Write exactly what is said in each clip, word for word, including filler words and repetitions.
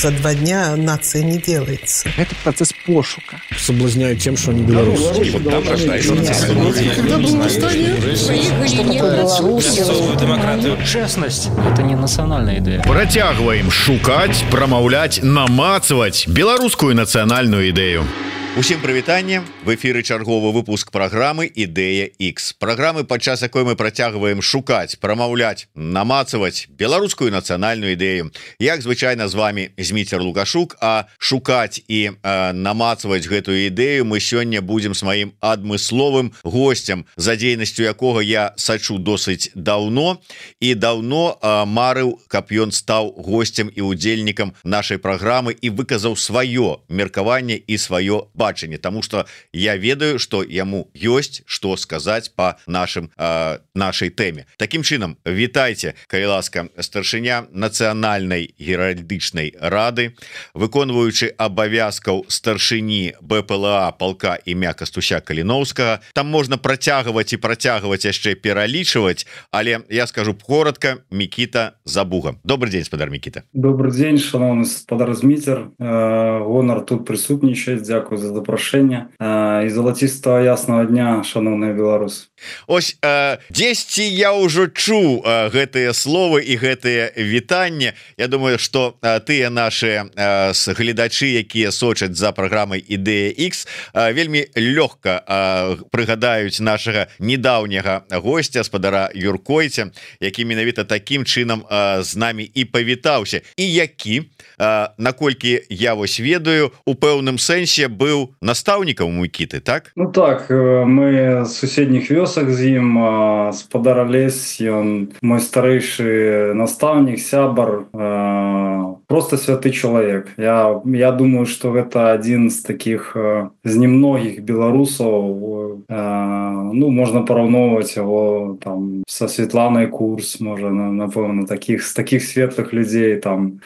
за два дня нация не делается. Это процесс пошука. Соблазняют тем, что они белорусы. Там рождаются демократию. Честность – это не национальная идея. Працягваем шукаць, прамаўляць, намацваць беларускую нацыянальную ідэю. Усім прывітанне, в эфіры чарговы выпуск праграмы Ідэя X. Праграмы, падчас якой мы працягваем шукаць, прамаўляць, намацаваць беларускую нацыянальную ідэю. Як звычайна з вами Зміцер Лукашук, а шукаць і э, намацаваць гэтую ідэю мы сёння будзем з маім адмысловым госцем, за дзейнасцю якога я сачу досыць даўно і даўно э, марыў, каб ён стаў госцем і удзельнікам нашай праграмы і выказаў сваё меркаванне і сваё бачанне, тому что я ведаю, что яму ёсць што сказаць по нашим э, нашай тэме. Таким чынам, вітайце, калі ласка, старшыня нацыянальнай геральдычнай рады, выконваючы абавязкаў старшыні БПЛА полка імя Кастуся Каліноўскага. Там можна працягваць і працягваць яшчэ пералічваць, але я скажу коротко: Мікіта Забуга. Добрый день, спадар Мікіта. Добрый день, шановны спадар Зміцер. Гонар тут прысутнічаць. Дзякую за запрашэнне і залацістага яснага дня, шановныя беларусы. Ось э, дзесьці я ўжо чуў э, гэтыя словы і гэтыя вітанне. Я думаю, что э, тыя наши э, гледачы, якія сочаць за праграмай Ідэя X, э, вельмі лёгка э, прыгадаюць нашага недаўняга госця, спадара Юркойця, які менавіта такім чынам э, з намі і павітаўся, і які, э, наколькі я вось ведаю, у пэўным сэнсе быў настаўнікам Мікіты, так? Ну так, мы з суседніх вёсак з ім, спадар Алесь, ён мой старэйшы настаўнік, сябар, просто святы чалавек. Я, я думаю, что гэта адзін з таких, з немногіх беларусаў, ну, можна параўноўваць яго там са Светланай Курс, можа, напэўна, таких, з таких светлых людзей там.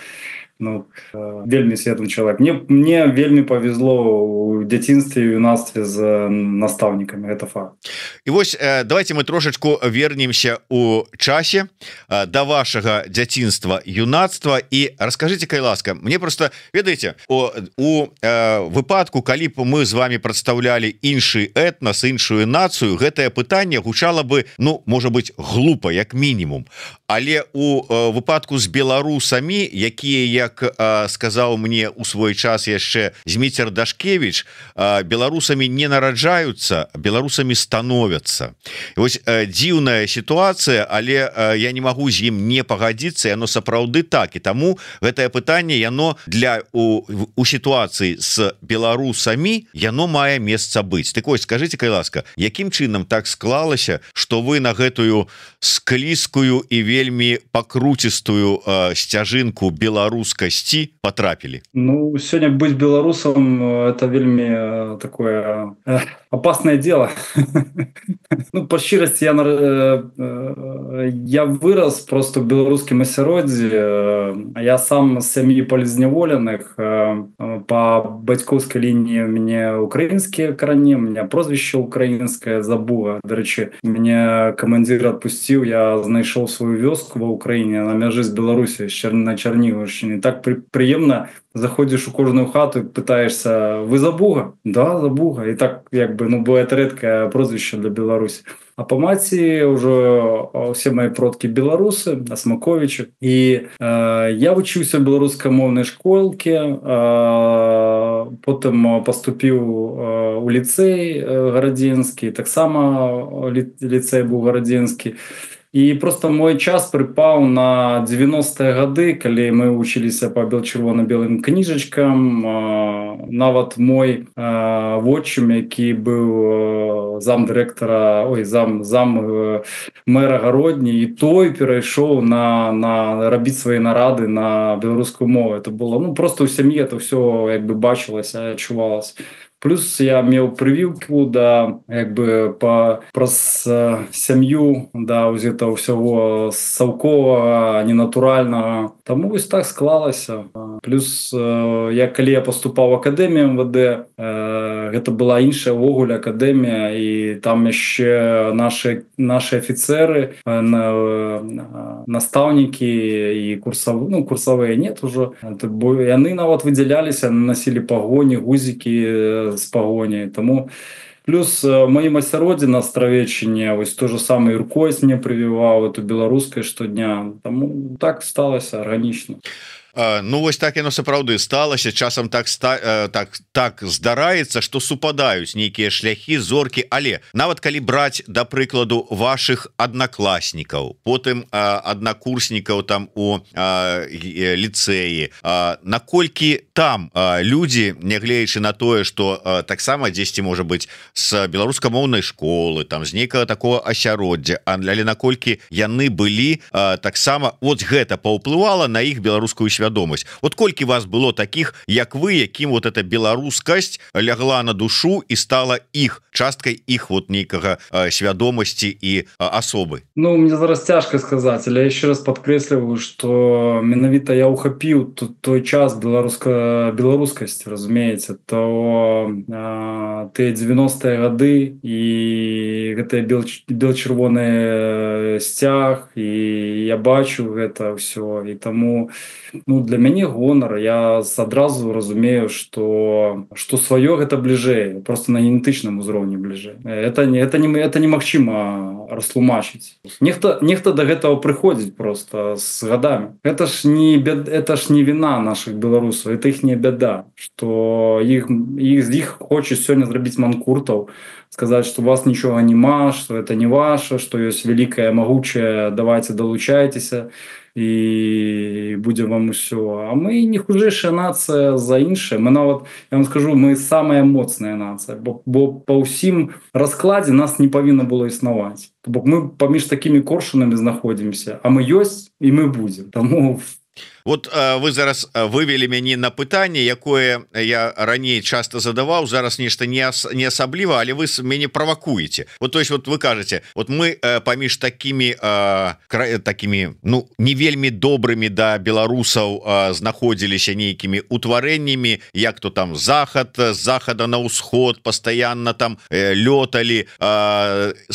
Ну, вельмі светлы чалавек. Мне, мне вельмі павезло у дзяцінстве і юнацтве з настаўнікамі, гэта факт. І вось давайте мы трошечку вернемся у часе да вашага дзяцінства, юнацтва, і раскажыце, калі ласка, мне просто, ведаеце, у, у э, выпадку, калі б мы з вами прадстаўлялі іншы этнас, іншую нацыю, гэтае пытанне гучала бы, ну, можа быць, глупа, як мінімум. Але у э, выпадку з беларусамі, якія, як э, сказаў мне у свой час яшчэ Зміцер Дашкевіч, э, беларусамі не нараджаюцца, беларусамі становяцца. І вось э, дзіўная сітуацыя, але э, я не магу з ім не пагадзіцца, яно сапраўды так, і таму гэтае пытанне, яно для у, у сітуацыі з беларусамі, яно мае месца быць. Так вось, скажыце, калі ласка, якім чынам так склалася, што вы на гэтую склізкую і вельмі пакруцістую э, сцяжынку беларускасці потрапілі? Ну, сёння быць беларусам — это вельмі такое э, опасное дело. Ну, по шчырасці, я, э, я вырос просто в беларускім асяроддзі. Я сам з сям'і палізняволеных. Э, по бацькоўскай лініі у мяне украінскія карані, у меня прозвішча украінскае Забуга. Дарэчы, мяне камандзір адпусціў, я знайшоў сваю вёску ва Ўкраіне на мяжы з Беларусі, на Чарнігаўшчыне. Так при, приемно, заходишь у кожную хату и пытаешься: вы Забуга? Да, Забуга. И так, як бы, ну, бывает редкое прозвище для Беларуси. А по маці уже все мои продки белорусы, Асмаковичи. И э, я вучыўся в беларускамоўнай школке, э, потым поступіў э, у ліцэй э, гарадзенскі, таксама ли, ліцэй быў гарадзенскі. І просто мой час прыпаў на девяностые гады, калі мы вучыліся па бел-чырвона-белым кніжачкам. Нават мой вотчым, які быў зам дырэктара, ой, зам, зам мэра Гародні, і той перайшоў на, на рабіць свае нарады на беларускую мову. Это было, ну, просто ў сям'і это все як бы бачылася, адчувалася. Плюс я меў прывілку да як бы па праз сям'ю да вось гэта ўсяго саўковага ненатуральнага, таму вось так склалася. Плюс я калі я паступаў в акадэмію эм вэ дэ, гэта была іншая ўвогуле акадэмія, і там яшчэ нашы нашы афіцеры, настаўнікі і курсавы, ну курсавыя нет ужо, бо яны нават выдзяляліся, насілі пагоні, гузікі з пагоняй. Таму плюс маім асяроддзі на Астравеччыне вось то же самае Юркойс мне прывіваў эту беларускай штодня, таму так сталася арганічна. Ну вось так яно сапраўды сталася, часам так так так здараецца, што супадаюць нейкія шляхі, зоркі, але нават калі браць да прыкладу вашых аднакласнікаў, потым аднакурснікаў там у ліцэі, наколькі там людзі, нягледзячы на тое, што таксама дзесьці можа быць з беларускамоўнай школы, там з нейкага такого асяроддзя, але наколькі яны былі таксама, вот гэта паўплывала на іх беларускую свядомасць. Вот колькі вас было таких, як вы, якім вот эта беларускасць лягла на душу і стала іх часткай іх вот нейкага свядомасці і асобы? Ну, мне зараз цяжка сказаць, але я еще раз падкрэсліваю, што менавіта я ухапіў тут той час беларуска беларускасці, разумееце, то тыя дзевяностыя гады і гэтыя бел-чырвоны сцяг, і я бачу гэта ўсё, і таму ну для мяне гонар, я адразу разумею, што што сваё гэта бліжэй, просто на генетычным узроўні бліжэй. Это не это не это немагчыма растлумачыць. Нехта нехта да гэтага прыходзіць просто з гадамі. Это ж не бед, это ж не віна наших беларусаў, это іхняя бяда, што іх іх з іх хочуць сёння зрабіць манкуртаў, сказаць, што у вас нічога няма, што это не ваше, што ёсць вялікае, магучае, давайте далучайцеся і будзе вам усё. А мы не хужэйшая нацыя за іншае. Мы нават, я вам скажу, мы самая моцная нацыя, бо, бо па ўсім раскладзе нас не павінна было існаваць. Бо мы паміж такімі коршунамі знаходзімся, а мы ёсць і мы будзем. Таму вот вы зараз вывели мяне на пытанне, якое я раней часто задаваў, зараз нешта не не асабліва, але вы мяне правакуеце. Вот то есть вот вы кажаце, вот мы паміж такими такими ну не вельмі добрымі да беларусаў знаходзіліся нейкімі утварэннямі, як то там захад з захада на ўсход, пастаянна там лёталі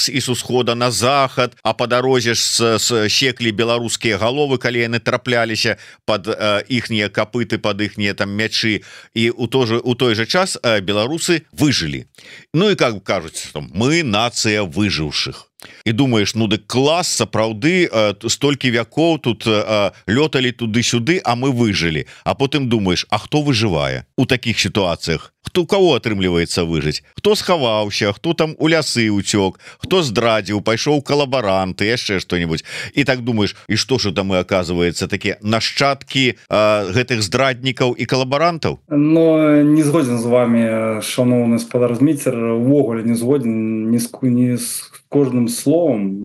і з усхода на захад, а па дарозе ж секлі беларускія галовы, калі яны трапляліся под іхнія капыты, под іхнія там мячы, і у той же у той же час беларусы выжылі. Ну і как кажуць, что мы нацыя выжыўшых. І думаеш, ну дык клас, сапраўды столькі вякоў тут лёталі туды-сюды, а мы выжылі. А потым думаеш, а хто выжывае у такіх сітуацыях? Хто у кого атрымліваецца выжыць? Хто схаваўся, хто там у лясы уцёк, хто здрадзіў, пайшоў калабаранты, яшчэ што-нибудь. І так думаеш, і што ж там мы, оказывается, такія нашчадкі гэтых здраднікаў і калабарантаў? Ну, не згоден з вами, шановны спадар Зміцер, увогуле не згоден ні з, ні з кожным словом.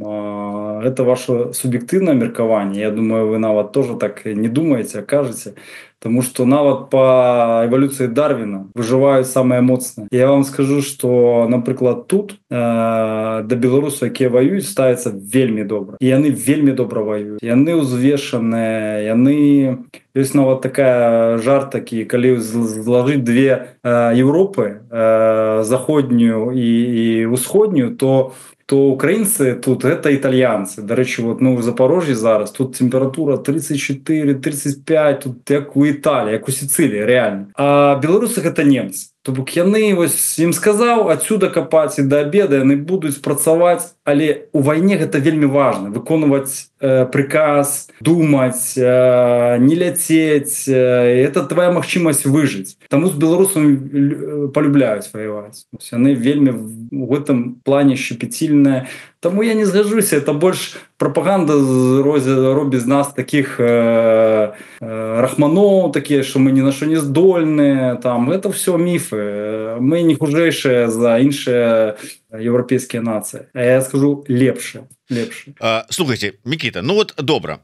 Это ваше субъективное меркование. Я думаю, вы нават тоже так не думаете, а кажете. Потому что нават по эволюции Дарвина выживают самые моцные. Я вам скажу, что, например, тут э, до белорусов, якія воюют, ставятся вельми добро. И они вельми добро воюют. И они узвешенные, и они... Есть нават такая жарт такі, калі зложить две э, Европы, э, заходнюю и, и усходнюю, то то украинцы тут это итальянцы. До речі, вот, ну, в Запорожье зараз тут температура тридцать четыре тридцать пять, тут як у Італії, як у Сицилії, реально. А белорусах это немцы. Тобто яны, ось, ім сказаў, отсюда копаць і до обеда, яны будуць працаваць, але у вайне гэта вельмі важна, выконваць э, приказ, думаць, э, не ляцець, э, это твоя магчымасць выжыць. Таму з беларусамі полюбляюць воеваць. Яны вельмі в этом плане щепетильныя. Таму я не згажуся, это больш пропаганда робіць з нас таких э, э, рахманоў, такія, што мы ні на што не здольныя, там, это все міфы. Мы не хужэйшыя за іншыя еўрапейскія нацыі. А я скажу лепшыя. лепшы. Слухайте, Мікіта, ну вот добра,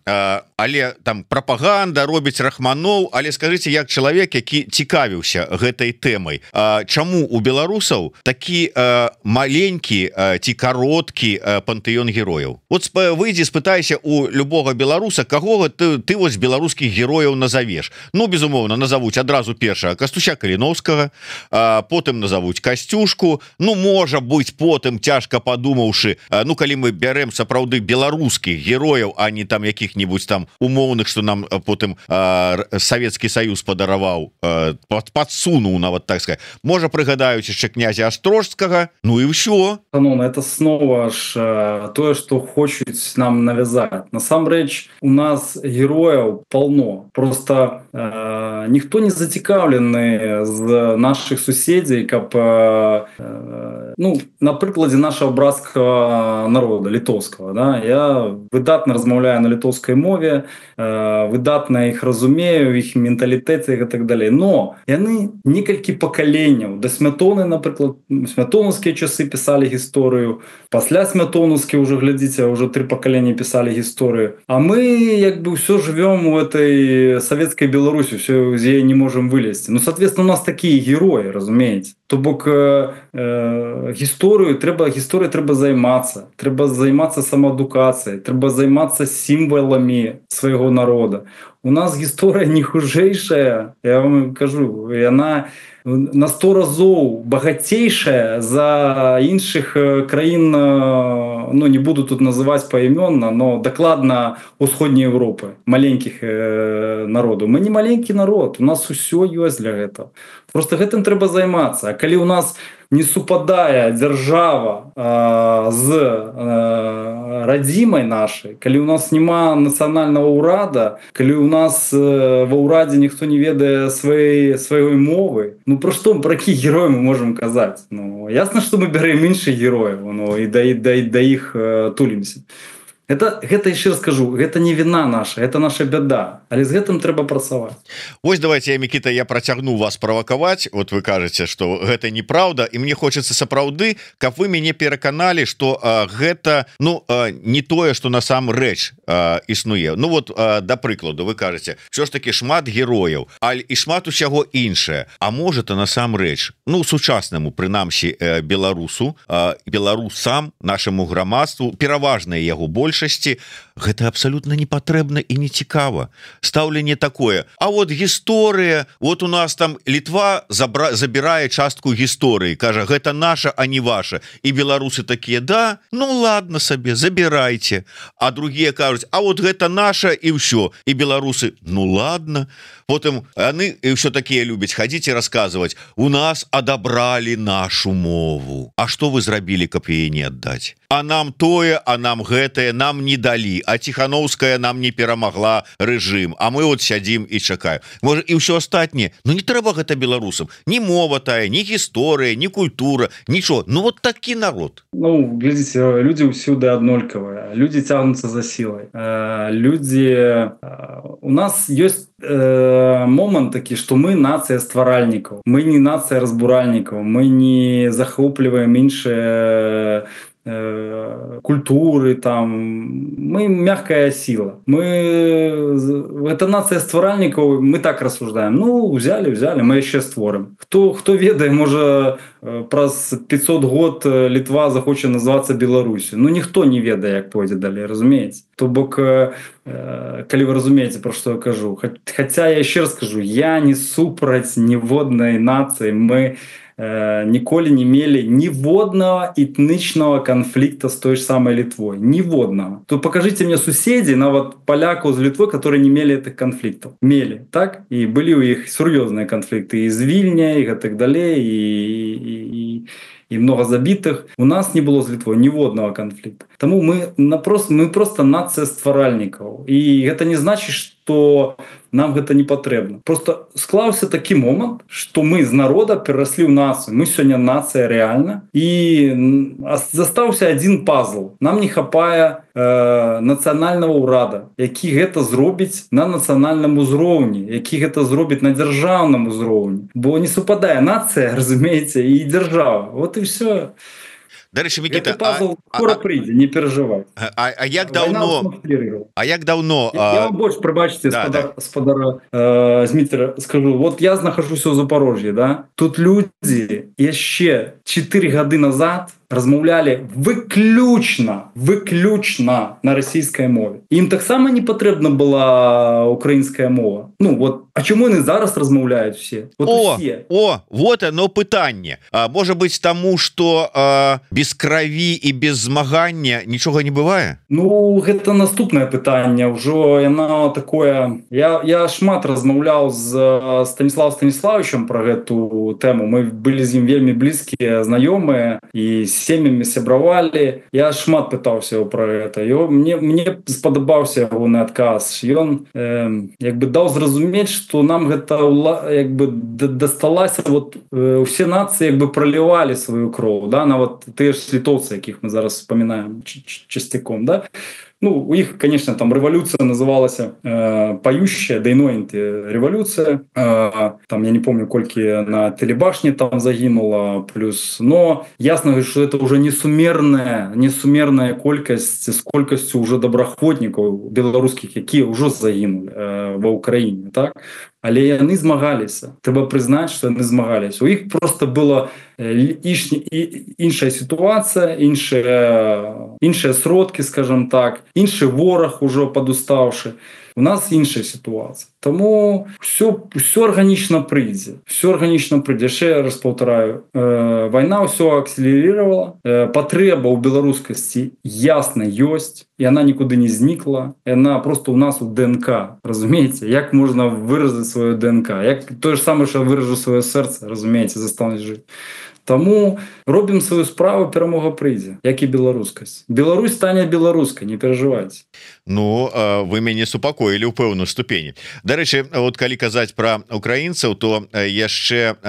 але там прапаганда робіць рахманоў, але скажите, як чалавек, які цікавіўся гэтай тэмай, чаму у беларусаў такі маленькі ці кароткі пантэён герояў? Вот выйдзі, спытайся у любога беларуса, каго ты, ты вось беларускіх герояў назовеш. Ну, безумоўна, назовуць адразу першага Кастуся Каліновскага, потым назовуць Касцюшку, ну, можа быць, потым цяжка падумаўшы, ну, калі мы бярем сапраўды беларускіх герояў, а не там якіх-нибудь там умоўных, што нам потым Савецкі Саюз падараваў, падсунуў, нават так сказать. Можа, прыгадаюць яшчэ князя Астрожскага, ну і ўсё. Ну, это снова ж тое, што хочуць нам навязаць. Насамрэч, у нас герояў полно. Просто э, ніхто не зацікаўлены з наших суседзей, каб э, ну, на прыкладзе нашего братского народа, літоўскага. Да? Я выдатна размаўляю на літоўскай мове, э, выдатна іх разумею, іх менталітэце і так далей. Но яны некалькі пакаленняў. Да Смятоны, напрыклад, смятонаўскія часы пісалі гісторыю, пасля смятонаўскі уже, глядзіце, уже три пакалення пісалі гісторыю. А мы як бы все живем у этой советской Беларуси, все з яе не можем вылезти. Ну, соответственно, у нас такие герои, разумеете. То бок э, э, гісторыю трэба гісторыяй трэба займацца, трэба займацца самаадукацыяй, трэба займацца сімваламі свайго народа. У нас гісторыя не хужэйшая, я вам кажу, яна на сто разоў багацейшая за іншых краін, ну, не буду тут называць паімённа, но дакладна усходняй Европы, маленькіх э, народаў. Мы не маленькі народ, у нас усё ёсць для гэтага. Просто гэтым трэба займацца. А калі у нас не супадае дзяржава э, з э, радзімай нашай, калі у нас няма нацыянальнага ўрада, калі у нас э, ва ўрадзе ніхто не ведае сваёй сваёй мовы, ну про што, про якіх герояў мы можам казаць? Ну, ясна, што мы бярэм іншых герояў, ну, і да, да, да іх э, тулімся. Это, гэта яшчэ раз скажу, гэта не віна наша, это наша бяда, але з гэтым трэба працаваць. Вось давайте, я, Мікіта, я працягну вас правакаваць. Вот вы кажаце, што гэта неправда, і мне хочацца сапраўды, каб вы мяне пераканалі, што а, гэта, ну, а, не тое, што насамрэч а, існуе. Ну вот, а, да прыкладу, вы кажаце, що ж таки шмат герояў, але і шмат усяго іншае. А можа, то насамрэч, ну, сучаснаму, прынамсі, э, беларусу, э, беларусам, нашаму грамадству, пераважнае яго больш, гэта абсолютно не патрэбна і не цікава. Стаўленне такое: а вот гісторыя, вот у нас там Літва забра... забірае частку гісторыі, кажа, гэта наша, а не ваша. І беларусы такія: да, ну ладно сабе, забірайце. А другія кажуць: а вот гэта наша, і ўсё. І беларусы: ну ладно. Потым яны ўсё такія любяць хадзіць і расказваць: у нас адабралі нашу мову. А што вы зрабілі, каб яе не аддаць? А нам тое, а нам гэтае нам не далі, а Ціхановская нам не перамагла рэжым, а мы вот сядзім і чакаем. Можа, і ўсё астатняе. Ну не трэба гэта беларусам. Ні мова тая, ні гісторыя, ні культура, нічого. Ну вот такі народ. Ну, глядзіце, людзі ўсюды аднолькавыя. Людзі цягнуцца за сілай. Людзі... У нас ёсць момант такі, што мы нацыя стваральнікаў. Мы не нацыя разбуральнікаў. Мы не захопліваем іншыя культуры, там, мы мягкая сила. Мы, это нация стваральников, мы так рассуждаем. Ну, взяли, взяли, мы еще створим. Кто, кто ведае, может, праз пятьсот год Литва захочет называться Беларусью. Ну, никто не ведае, як пойдзе далей, разумеете? То бок, калі вы разумеете, про что я кажу. Хотя я еще раз скажу, я не супраць ніводнай нации, мы ніколі не мелі ніводнага этнічнага канфлікта з той ж самой Літвой. Ніводнага. То покажите мне суседзей, нават палякаў з Літвой, которые не мелі этих конфликтов. Мелі, так? І былі ў іх сур'ёзныя канфлікты і з Вільня, і гэтак далей, і, і, і, і много забітых. У нас не было з Літвой ніводнага канфлікта. Таму мы, напрост, мы просто нацыя стваральнікаў. І гэта не значыць, што нам гэта не патрэбна. Просто склаўся такі момант, што мы з народа перараслі ў нацыю. Мы сёння нацыя рэальна. І застаўся адзін пазл. Нам не хапае э, нацыянальнага ўрада, які гэта зробіць на нацыянальным узроўні, які гэта зробіць на дзяржаўным узроўні. Бо не супадае нацыя, разумееце, і дзяржава. Вот і все. Дарэчы, Мікіта, Гэты пазл а, скоро а, прыйдзе, не перажывай. А, а як Вайна давно усматлірувала. А як давно Я, я вам больше, пробачьте, да, сподар, да. сподара э, Змитера, скажу. Вот я нахожусь у Запорожье, да? Тут люди еще четыре года назад размовляли выключно, выключно на российской мове. Им так само не потребна была украинская мова. Ну вот, а чему они зараз размовляют все? Вот о, все. О, вот оно пытанне. А, может быть, тому, что а, без крови и без змагання ничего не бывает? Ну, это наступное пытание. Уже оно такое... Я, я шмат размовлял с Станиславом Станиславовичем про эту тему. Мы были с ним вельми близкие, знакомые, и с семьями сябравали. Я шмат пытался его про это. И мне, мне сподобался его на отказ. И он э, как бы дал зразуметь, что нам это как бы досталось. Вот э, все нации как бы проливали свою кровь, да, на вот те же литовцы, яких мы зараз вспоминаем частяком, да. Ну, у них, конечно, там революция называлась э, «Поющая», «Дейнойнти» революция. Э, там, я не помню, кольки на телебашне там загинуло, плюс. Но ясно, что это уже несумерная, несумерная колькость с колькостью уже добраахвотников белорусских, которые уже загинули э, в Украине, так? Але яны змагаліся. Трэба прызнаць, што яны змагаліся. У іх просто была іншая сітуацыя, іншыя, іншыя сродкі, скажем так, іншы вораг ужо падустаўшы. У нас іншая сітуацыя. Таму все, все арганічна прыйдзе. Все арганічна прыйдзе. Яшчэ раз паўтараю, э, вайна ўсё акселерировала. Э, патрэба ў беларускасці ясна ёсць, і она нікуды не знікла. Яна просто у нас у ДНК. Разумееце, як можна выразіць сваё ДНК? Як тое ж самае, што выражу сваё сэрца, разумееце, застануць жыць. Таму робім сваю справу, перамога прыйдзе, як і беларускасць. Беларусь стане беларускай, не перажывайце. Ну, вы мяне супакоілі ў пэўную ступені. Дарэчы, вот калі казаць пра украінцаў, то яшчэ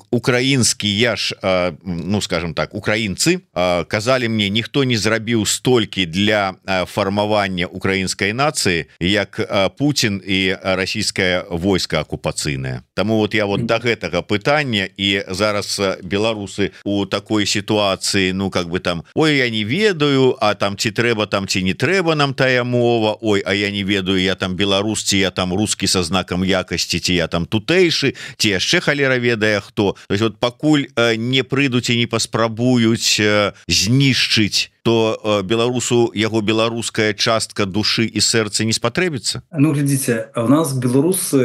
украінскія ж, ну, скажем так, украінцы казалі мне, ніхто не зрабіў столькі для фармавання украінскай нацыі, як Путін і расійскае войска акупацыйнае. Таму вот я вот да гэтага пытання, і зараз беларусы у такой сітуацыі, ну, как бы там, ой, я не ведаю, а там ці трэба там, ці не трэба нам тая мова, ой, а я не ведаю, я там беларус, ці я там рускі са знакам якасці, ці я там тутэйшы, ці яшчэ халера ведае хто. То есть вот пакуль не прыйдуць і не паспрабуюць знішчыць, то беларусу яго беларуская частка душы і сэрца не спатрэбіцца? Ну, глядзіце, у нас беларусы,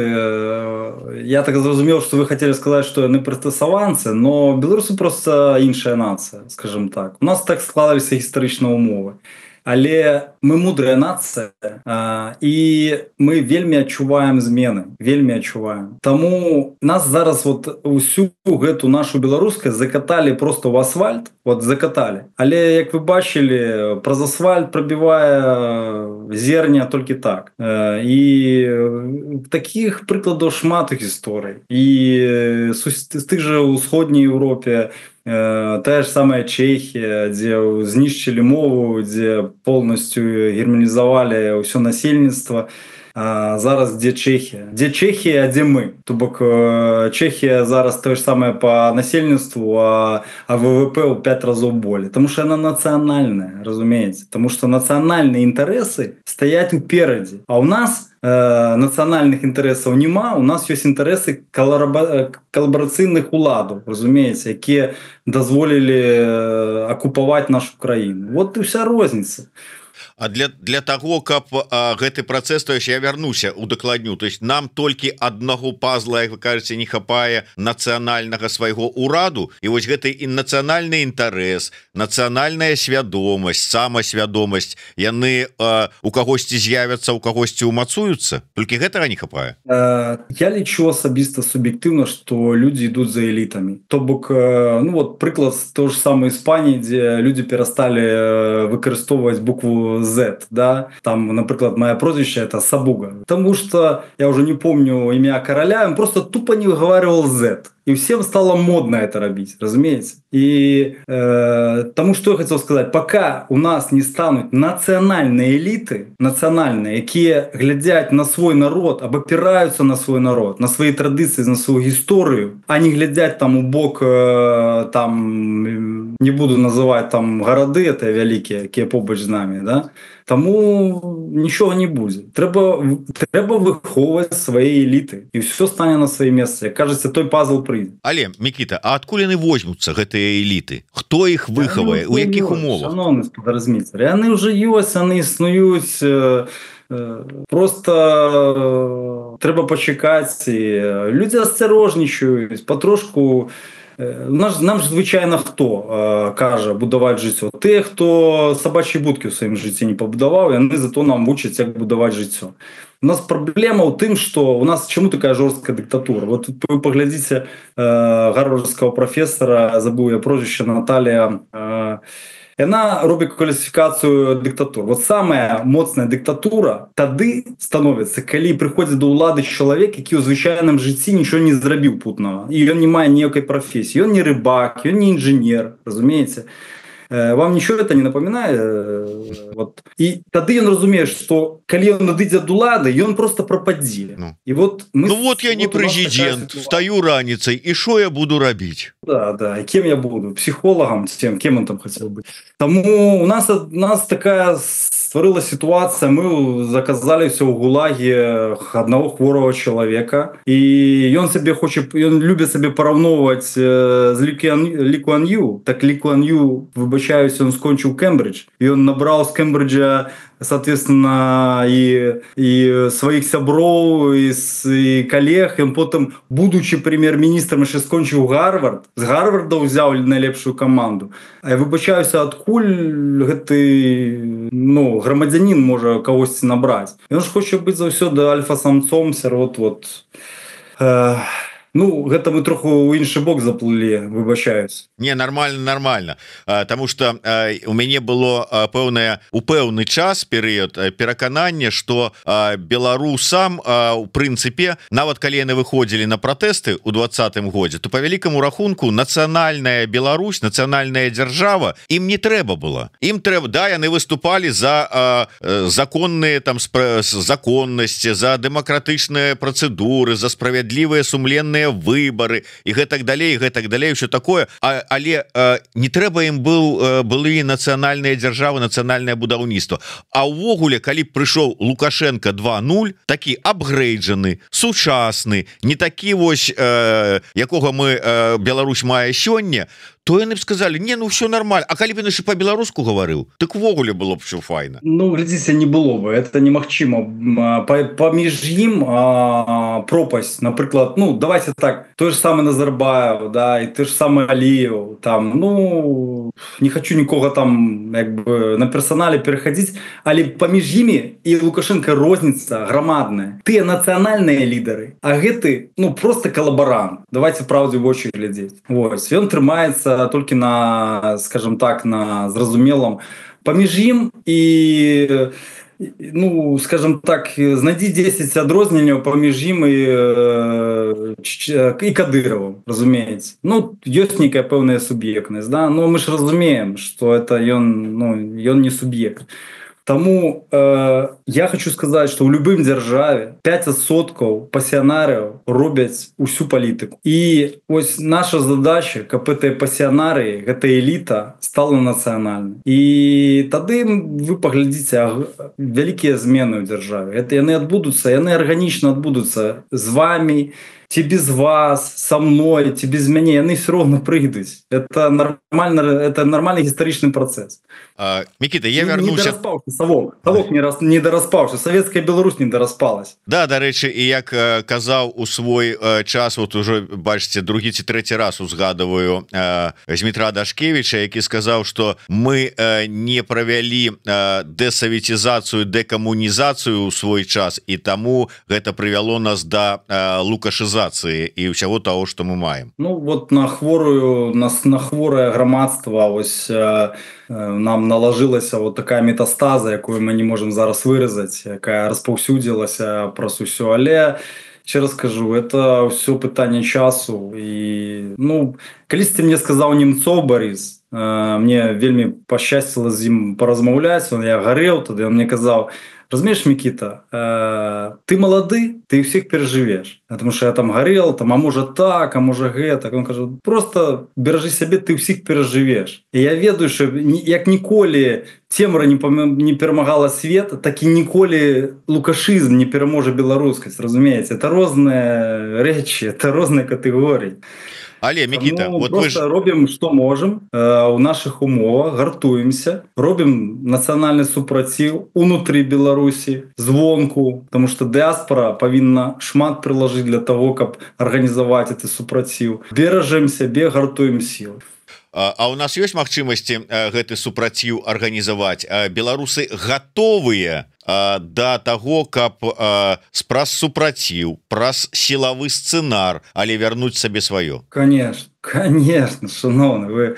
я так зразумеў, што вы хотели сказаць, што яны прыстасаванцы, но беларусы просто іншая нацыя, скажем так. У нас так складаліся гістарычныя умовы. Але мы мудрая нацыя, а, і мы вельмі адчуваем змены, вельмі адчуваем. Таму нас зараз вот усю гэту нашу беларускасць закаталі просто ў асфальт, вот закаталі. Але, як вы бачылі, праз асфальт прабівае зерня толькі так. І такіх прыкладаў шмат гісторый. І з тых жа ўсходняй Еўропе, тая ж самая Чехія, дзе знішчылі мову, дзе полностью германізавалі ўсё насельніцтва. А зараз дзе Чехія? Дзе Чехія, а дзе мы? То бок Чехія зараз тое ж самае по насельніцтву, а, а ВВП ў пять разоў болей. Таму што яна нацыянальная, разумееце? Таму што нацыянальныя інтарэсы стаяць уперадзе. А ў нас э, нацыянальных інтарэсаў няма, у нас ёсць інтарэсы калабарацыйных уладаў, разумееце, якія дазволілі акупаваць нашу краіну. Вот і вся розніца. А для для того, каб а, гэты працэс, то есть я вярнуся у дакладню, то есть нам толькі аднаго пазла, як вы кажаце, не хапае нацыянальнага свайго ўраду, і вось гэты і нацыянальны інтарэс, нацыянальная свядомасць, самасвядомасць, яны а, у кагосьці з'явяцца, у кагосьці умацуюцца, толькі гэтага не хапае. Я лічу асабіста суб'ектыўна, што людзі ідуць за элітамі. То бок, ну вот прыклад то ж самой Іспаніі, дзе людзі перасталі выкарыстоўваць букву Z, да, там, например, мое прозвище это Сабуга, потому что я уже не помню имя короля, он просто тупо не выговаривал Z. И всем стало модно это робить, разумеется. И э, тому, что я хотел сказать, пока у нас не станут национальные элиты, национальные, которые глядят на свой народ, обопираются на свой народ, на свои традиции, на свою историю, а не глядят там у бок э, там не буду называть там городы, это великие, які побач з нами, да? Тому нічого не буде. Треба, треба виховувати свої еліти, і все стане на своє місце. Як кажеться, той пазл прийде. Але, Микита, а адкуль яны возьмуцца, гэтыя эліты? Хто іх выхавае? У якіх умовах? Шановний сподарозміцер, яны вже ёсць, яны існуюць, просто треба почекати. Люди осторожничають, потрошку. Нам ж, звичайно, хто е, каже будувати життя? Те, хто собачі будки в своєму житті не побудував, і вони зато нам учать, як будувати життя. У нас проблема в тим, що у нас чому така жорстка диктатура? От ви поглядите е, гарвардського професора, забув я прозвище, Наталія, е, вона робить кваліфікацію диктатур. От саме моцна диктатура тоді становиться, коли приходить до влади чоловік, який у звичайному житті нічого не зробив путного. І він не має ніякої професії. Він не рибак, він не інженер, розумієте? Вам нічого це не напоминає? Вот. І тоді він розуміє, що коли він надійде до влади, він просто пропаде. Ну, і от ми, ну от я не от президент, встаю раніцей, і що я буду робити? Да, да, і ким я буду? Психологом, тем, кем він там хотів бути. Тому у нас, у нас така створилась ситуація, ми заказали все в ГУЛАГі одного хворого чоловіка, і він собі хоче, він любить собі порівнювати з Лі Куан Ю, так Лі Куан Ю, вибачаюся, він скончив Кембридж, і він набрав з Кембриджа, соответственно, и, и своих сябров, и, и коллег, и потом, будучи прем'єр-міністром, ще скончив Гарвард, з Гарварда взяв найлепшу команду. А я вибачаюся, откуль гэтый, ну, громадянин може когось набрати. Він ж хоче бути завсёды альфа-самцом, вот-вот. Е Ну, гэта мы троху ў іншы бок заплылі, выбачаюсь. Не, нормально, нормально. А, тому что а, у мяне было а, пэўнае у пэўны час перыяд пераканання, што а, беларусам а, у прынцыпе, нават калі яны выходзілі на пратэсты ў двадцатым годзе, то по вялікаму рахунку нацыянальная Беларусь, нацыянальная дзяржава ім не трэба было. Ім трэба, да, яны выступалі за а, законныя там законнасці, за дэмакратычныя працэдуры, за справядлівыя сумленныя выборы і гэтак далей, гэтак далей, все такое, а, але э, не трэба ім быў э, былі нацыянальныя дзяржавы, нацыянальнае будаўніцтва. А ўвогуле, калі прыйшоў Лукашенко два нуль, такі апгрейджаны, сучасны, не такі вось э, якога мы э, Беларусь мае сёння, то яны б сказали, не, ну все нормально. А калі б яшчэ по-беларуску говорил, так увогуле было б все файна. Ну, глядзіце, не было бы, это немагчыма. Паміж ім а, пропасть, напрыклад, ну, давайте так, той же самый Назарбаев, да, и той же самый Алиев, там, ну, не хочу нікога там, як бы, на персоналі переходить, але паміж імі і Лукашенко розніца громадная. Тыя нацыянальныя лідары, а гэты, ну, просто коллаборант. Давайте правде в очі глядзець. Вось, ён трымаецца толькі на, скажем так, на зразумелом паміж ім і, ну, скажем так, знайдзі дзесяць адрозненняў паміж ім і, і Кадыровым, разумееце. Ну, ёсць нейкая пэўная суб'ектнасць, да? Но мы ж разумеем, што это ён, ну, ён не суб'ект. Тому э, я хочу сказать, что в любым державе пять адсоткаў пасіянарыяў робяць усю палітыку. І ось наша задача, каб гэтыя пасіянарыі, гэта эліта стала нацыянальнай. І тады вы паглядзіце вялікія змены ў дзяржаве. Это яны адбудуцца, яны арганічна адбудуцца з вами, ці без вас, со мной, ці без мяне, яны все равно прыйдуць. Это нормально, это нормальный гістарычны працэс. А, Микита, я не, вернуся... Не дораспаўся, Савок. Савок не, рас... не дораспаўся. Советская Беларусь не дораспалась. Да, дарэчы, і як э, казаў у свой э, час, вот уже, бачыце, другі ці трэці раз узгадываю э, Змітра Дашкевіча, які сказаў, што мы э, не правялі э, дэсаветізацыю, дэкамунізацыю ў свой час, і таму гэта прывяло нас да э, лукашызацыі і ўсяго того, што мы маем. Ну вот на хворую на, на хворае грамадства ось э, нам налажылася вот такая метастаза, якую мы не можем зараз выразаць, якая распаўсюдзілася праз усё, але ще раз скажу, это все пытанне часу. І ну калісьці мне сказаў Немцов Борис, э, мне вельмі пашчасціла з ім паразмаўляць, он я гарэў, тады он мне казаў: разумеешь, Микита, э, ты молоды, ты всех переживешь, потому что я там горел, там, а может так, а может гэта, он каже, просто бережи себе, ты всех переживешь. И я ведаю, что як ніколі цемра не, не перемагала свет, так і ніколі лукашизм не переможе беларускасць, разумеете, это розные речи, это розные категории. Але, Микита, Тому вот просто вы ж... робім, што можам э, у наших умовах, гартуемся, робім нацыянальны супраціў унутры Беларусі, звонку, потому что дыаспора павінна шмат прылажыць для того, каб арганізаваць гэты супраціў. Беражэм сябе, гартуем сілы. А у нас ёсць магчымасці гэты супраціў арганізаваць? Беларусы гатовыя да таго, каб праз супраціў, праз сілавы сцэнар, але вярнуць сабе сваё? Конечно, конечно, шановны, вы...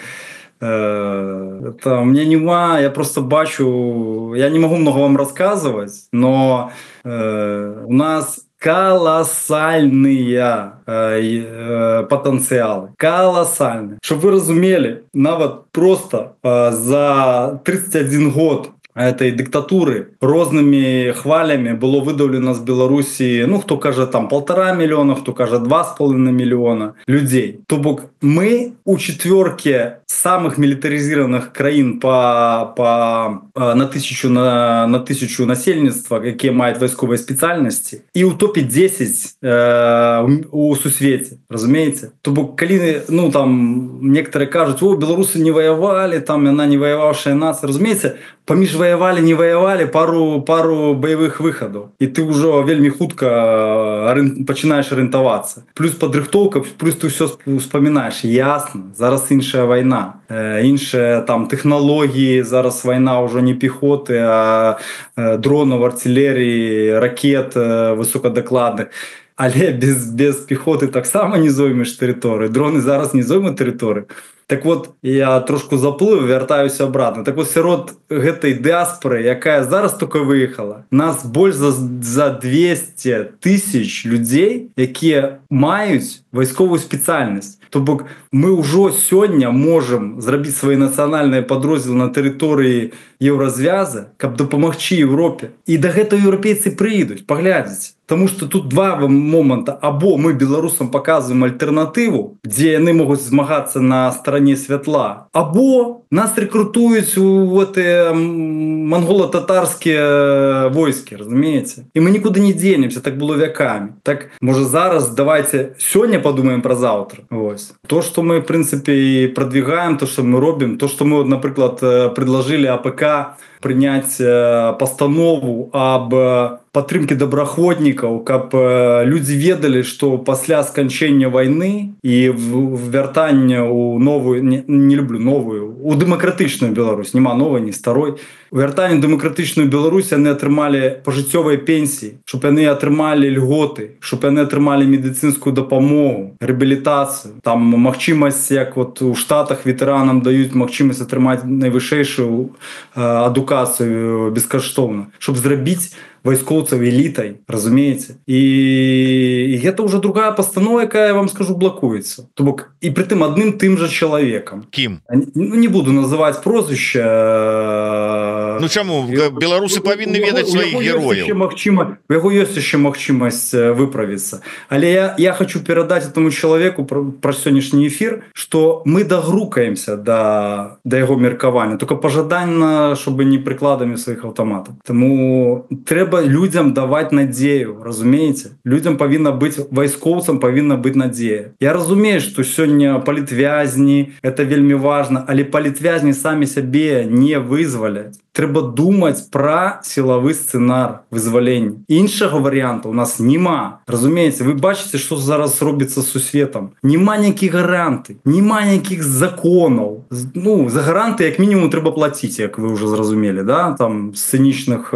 Это у меня нема, я просто бачу, я не могу много вам рассказывать, но э, у нас колоссальные э, э, потенциалы, колоссальные. Чтобы вы разумели, нават просто э, за тридцать один год этой диктатуры рознымі хвалями было выдавлено з Беларусі, ну, хто кажа там полтора миллиона, хто кажа два с половиной миллиона людей. То бок мы у четверке самых милитаризированных краін по, по, на тысячу на, на тысячу насельніцтва, якія маюць вайсковыя спецыяльнасці, і ў топе десять э, у сусвеце, разумееце? То бок калі, ну, там некоторые кажуць, о, беларусы не воевали, там яна не воевавшая нация, разумееце, паміж воевали, не воевали, пару, пару боевых выходов, и ты уже вельмі хутка пачинаешь ориентоваться. Плюс подрыхтовка, плюс ты все вспоминаешь. Ясно, зараз іншая война, іншая там технологии, зараз война уже не пехоты, а дронов, артиллерии, ракет высокодокладных. Але без, без пехоты таксама не зоймеш тэрыторыю. Дроны зараз не зоймут тэрыторыю. Так вот, я трошку заплыў, вяртаюся обратно. Так вот, сярод гэтай дыаспоры, якая зараз только выехала, нас больш за, за двести тысяч людей, якія маюць вайсковую спецыяльнасць. То бок мы ўжо сёння можам зрабіць свае нацыянальныя падроздзелы на тэрыторыі еўразвяза, каб дапамагчы Европе. І да гэтага еўрапейцы прыйдуць, паглядзіць. Потому что тут два момента. Або мы беларусам показываем альтернативу, где яны могут змагаться на стороне святла, або нас рекрутуют в эти монголо-татарские войски, разумеете? И мы никуда не денемся, так было веками. Так, может, зараз давайте сегодня подумаем про завтра. Вот. То, что мы, в принципе, продвигаем, то, что мы робим, то, что мы, например, предложили АПК принять постанову об падтрымке добраахвотнікаў, каб людзі ведалі, што пасля сканчэння вайны і вяртання ў новую, не, не люблю новую, у дэмакратычную Беларусь, няма новай, не старой, у вяртанні дэмакратычную Беларусь яны атрымалі пажыццёвыя пенсіі, щоб яны атрымалі льготы, щоб яны атрымалі медыцынскую дапамогу, рэабілітацыю, там магчымасць, як вот у Штатах ветэранам даюць магчымасць атрымаць найвышэйшую адукацыю бескаштоўна, щоб зрабіць вайскоўцаў элітай, разумееце? І, і гэта ўжо другая пастанова, якая, я вам скажу, блакуецца. То бок, і притым адным тым жа чалавекам. Кім? Ну, не буду называць прозвішча. Ну чаму? Беларусы павінны ведаць сваіх герояў. У яго ёсць яшчэ магчымасць выправіцца. Але я, я хочу перадаць этому чалавеку пра, пра сённяшні эфір, што мы дагрукаемся да, да яго меркавання, только пажаданна, чтобы не прыкладамі сваіх аўтаматаў. Таму трэба людям давать надею, разумеете? Людям павінна быць, вайскоўцам павінна быць надзея. Я разумею, што сёння палітвязні, это вельмі важна, але палітвязні самі сябе не вызваляць. Трэба думаць пра сілавы сцэнар вызвалення. Іншага варыянта у нас няма. Разумееце, вы бачыце, што зараз робіцца з сусветам. Няма ніякіх гаранты, няма ніякіх законаў. Ну, за гаранты як мінімум трэба плаціць, як вы ўжо зразумелі, да? Там сцэнічных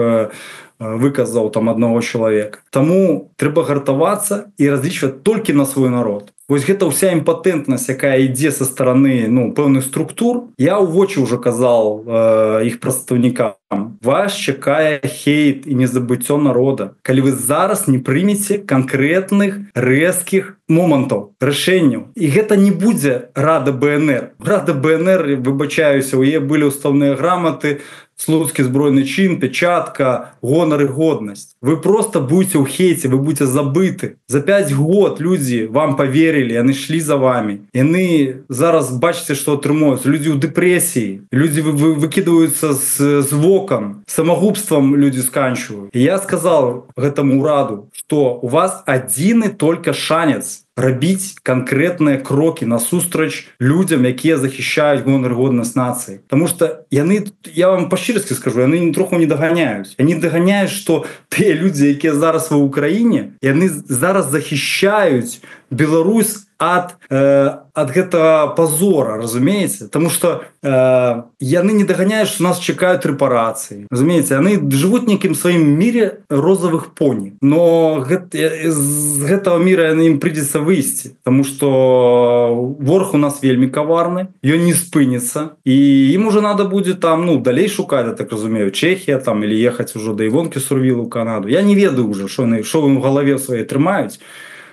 выказаў там аднаго чалавека. Таму трэба гартавацца і разлічваць толькі на свой народ. Вось гэта ўся імпатэнтнасць, якая ідзе са стараны, ну, пэўных структур. Я ў вочы ўжо казал э, іх прадстаўнікам. Вас чакае хейт і незабыццё народа, калі вы зараз не прымеце канкрэтных рэзкіх момантаў, рашэнняў. І гэта не будзе Рада БНР. Рада БНР, выбачаюся, у яе былі ўставныя граматы, слуцкі збройны чын, печатка, гонар і годнасць. Вы просто будете ў хейце, вы будете забыты. За пять год людзі вам поверили, яны шлі за вами. Яны зараз бачыце, што атрымаюцца. Людзі ў дэпрэсіі, людзі вы, выкидываются з, з вокон, самогубством людзі сканчивают. И я сказал гэтаму ураду, что у вас один и только шанец рабіць конкретныя крокі насустрач людзям, якія захищаюць гонар і годнасць нацыі. Потому что яны, я вам па-шчырасці скажу, яны ні троху не доганяюць. Яны доганяюць, што тыя людзі, якія зараз ва Украіне, яны зараз захищаюць Беларусь ад, э, ад гэтага позора, разумееце? Потому что э, яны не доганяюць, што нас чакаюць рэпарацыі. Разумееце, яны жывуць некім сваім мире розовых пони. Но гэт, з гэтага мира ім придется выйсці, потому что ворог у нас вельмі коварны, ён не спыніцца, и им уже надо будет там, ну, далей шукаць, я так разумею, Чехия там, или ехать уже до Івонкі Сурвілу ў Канаду. Я не ведаю уже, что яны, что им в голове своей трымаюць.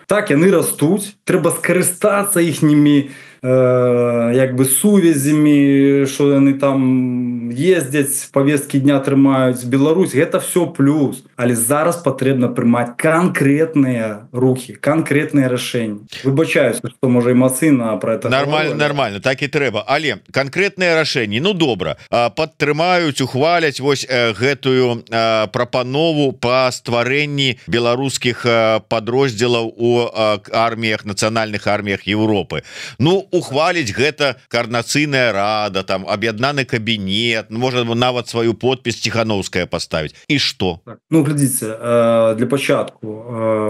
Так, яны растуць, трэба скарыстацца іхнімі э, як бы сувязямі, што яны там ездзяць, повесткі дня трымаюць. Беларусь, гэта все плюс. Але зараз патрэбна прымаць канкрэтныя рухі, канкрэтныя рашэнні. Выбачаюся, што можа эмацыйна пра это. Нормально, нормально, так і трэба. Але канкрэтныя рашэнні, ну добра, падтрымаюць, ухваляць вось гэтую прапанову па стварэнні беларускіх падроздзелаў у арміях, нацыянальных арміях Европы. Ну, ухваліць гэта координацыйная рада, там аб'яднаны кабінет, можна нават сваю подпіс Ціхановская поставіць. І што? Ну, глядзіце, для пачатку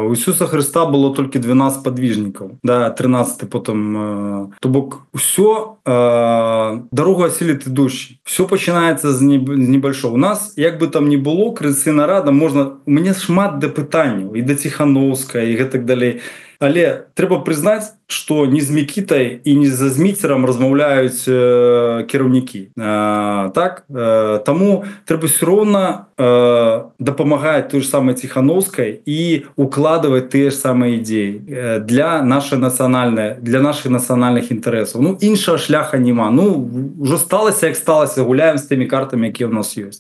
у Ісуса Христа было толькі двенадцать подвижников, да, тринадцать потом, то бок усё дорогу осилит идущий. Все пачынаецца з небольшого. У нас, як бы там ни было, координацыйная рада, можна, у мяне шмат да пытанняў і да Ціхановская і гэтак далей. Але трэба прызнаць, што ні з Мікітай і ні за Зміцерам размаўляюць э, кіраўнікі. Э, так? Э, таму трэба ўсё роўна э, дапамагаць той ж самай Ціхановскай і укладываць тыя ж самыя ідеі э, для нашай нацыянальнай, для нашых нацыянальных інтарэсаў. Ну, іншага шляха няма. Ну, ўжо сталася, як сталася, гуляем з тымі картамі, якія ў нас ёсць.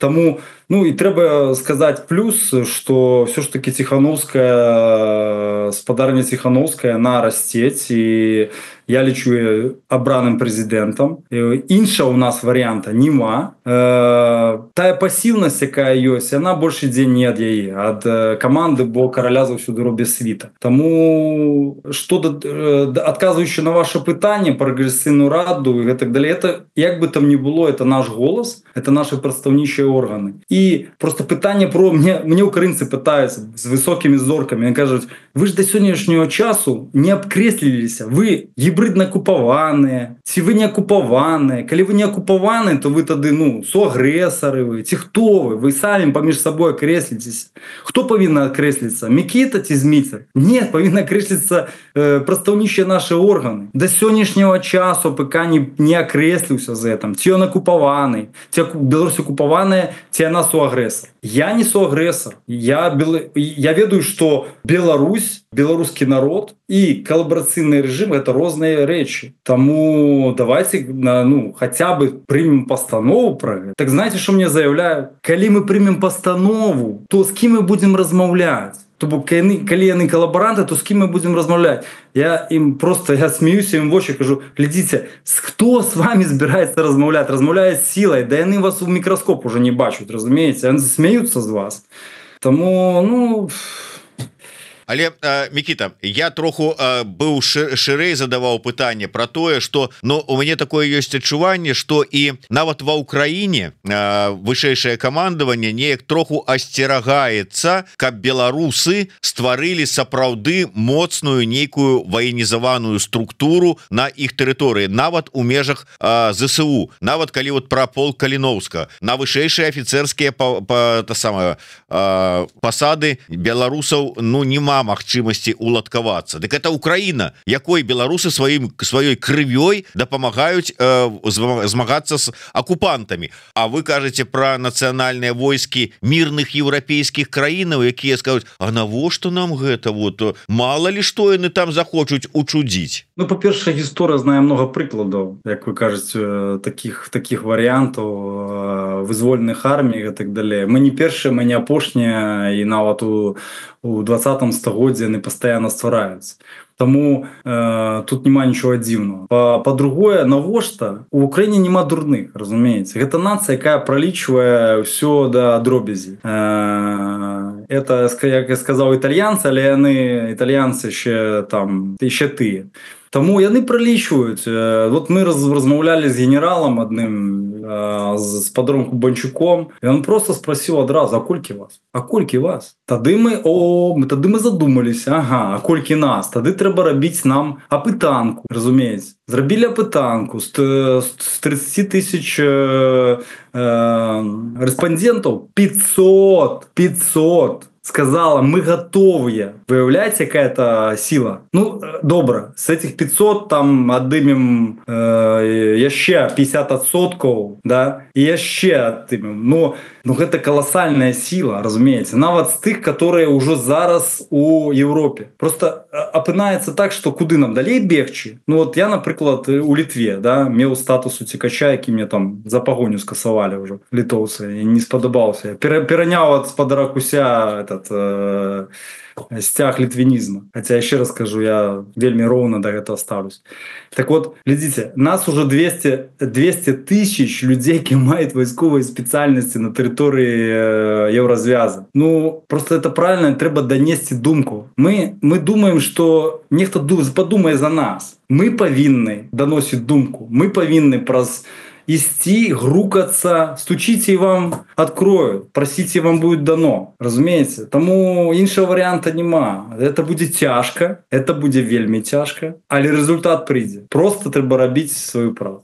Таму, ну, і трэба сказаць плюс, што все ж таки Ціхановская, спадарня Ціхановская, она расцець, і я лічу абраным прэзідэнтам. Інша у нас варыянта няма. Тая пасіўнасць, якая ёсць, яна больш ідзе не ад яе, ад каманды, бо караля заўсёды робіць світа. Таму, што адказваючы на ваше пытанне пра Координацыйную раду і гэтак далей, это, як бы там ни было, это наш голос, это наши прадстаўнічыя органы. І просто пытанне про... Мне, мне украінцы пытаюцца з высокімі зоркамі, они кажуць, вы ж до сённяшняго часу не абкрэсліліся, вы гібридна акупаваныя, ці вы не акупаваныя. Калі вы не акупаваныя, то вы тады, ну, суагрэсары вы, ці хто вы? Вы самі паміж сабой акрэсліцеся. Хто павінна акрэсліцца? Мікіта ці Зміцер? Не, павінна акрэсліцца э, прадстаўнічыя нашы органы. До сённяшняго часу ПК не, не акрэсліўся з гэтым. Ці ён акупаваны, ці Беларусь акупаваная, ці яна суагрэсар. Я не суагрэсар. Я, бел... я ведаю, што Беларусь, беларускі народ і калабарацыйны рэжым — это розныя рэчы. Таму давайте, ну, хотя бы прымем пастанову пра гэта. Так знаете, што мне заяўляю? Калі мы прымем пастанову, то з кім мы будзем размаўляць? То бок, калі яны калабаранты, то з кім мы будзем размаўляць? Я ім просто, я смеюся ім в очі, кажу, глядзіце, хто з вами збіраецца размаўляць? Размаўляе сілай, да яны вас у мікраскоп уже не бачуць, разумееце? Яны смеюцца з вас. Таму, ну... Але э, Мікіта, я троху э, быў шырэй задаваў пытанне про тое, что, ну, у мяне такое ёсць адчуванне, что і нават ва ўкраіне э, вышэйшае камандаванне неяк троху асцерагаецца, каб беларусы стварылі сапраўды моцную нейкую ваенізаваную структуру на іх тэрыторыі, нават у межах э, ЗСУ, нават калі вот пра полк Каліноўска, на вышэйшыя афіцэрскія па, па, та самая, э, пасады беларусаў, ну, нема няма магчымасці уладкавацца. Дык это Украіна, якой беларусы сваім сваёй крывёй дапамагаюць э, змагацца з акупантамі. А вы кажаце пра нацыянальныя войскі мірных еўрапейскіх краінаў, якія скажуць: а навошта нам гэта, вот мала ли што яны там захочуць учудзіць? Ну, па-першае, гісторыя знае много прыкладаў, як вы кажаце, таких таких варыянтаў вызвольных армій і так далее. Мы не першыя, мы не апошнія, і нават у у двадцатым стагоддзі яны пастаянна ствараюцца. Таму э, тут няма нічога дзіўнага. Па-другое, навошта? У Украіне няма дурных, разумееце. Гэта нацыя, якая пралічвае ўсё да дробязі. Э, это, як я сказаў, італьянцы, але яны італьянцы ще там, ще тыя. Таму яны пралічваюць. Вот мы раз, размаўлялі з генералам адным, э, з падронку Банчуком, і он просто спросил адразу: а колькі вас? А колькі вас? Тады мы, о, мы тады мы задумаліся, ага, а колькі нас? Тады трэба рабіць нам апытанку, разумееце. Зрабілі апытанку з, з тридцать тысяч э, э, рэспандентаў, пятьсот, пятьсот сказала: мы готовые. Выявляете, какая-то сила? Ну, добро. С этих пятьсот там отдымем э, яще пятьдесят адсоткаў, да, и яще отдымем. Ну, ну, это колоссальная сила, разумеется. Нават з тых, которые уже зараз у Европе. Просто апынаецца так, что куды нам далей бегчы? Ну, вот я, напрыклад, у Литве, да, меў статус уцекача, які мне там за погоню скасавалі уже литовцы, и не сподобался. Пераняў ад спадара Куся этот э, стяг литвинизма. Хотя, еще раз скажу, я вельми ровно до этого ставлюсь. Так вот, глядите, нас уже двести, двести тысяч людей, які мають військові спеціальності на території э, Єврозв'язу. Ну, просто это правильно, треба донести думку. Мы, мы думаем, что нехто подумає за нас. Мы повинны доносить думку. Мы повинны прос... исти, грукаться, стучите, и вам откроют, просите, вам будет дано, разумеется. Тому іншого варианта нема. Это будет тяжко, это будет вельми тяжко, але результат прийде. Просто треба робити свою правду.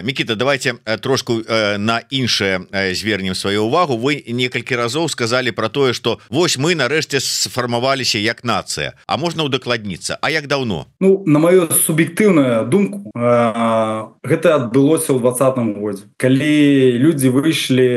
Микита, давайте трошку на іншае звернем сваю увагу. Вы некалькі разоў сказали про тое, что вось мы нарэшце сфармаваліся як нацыя. А можна ўдакладніцца? А як даўно? Ну, на мою суб'ектыўную думку, гэта адбылося ў двадцатым годзе. Калі людзі выйшлі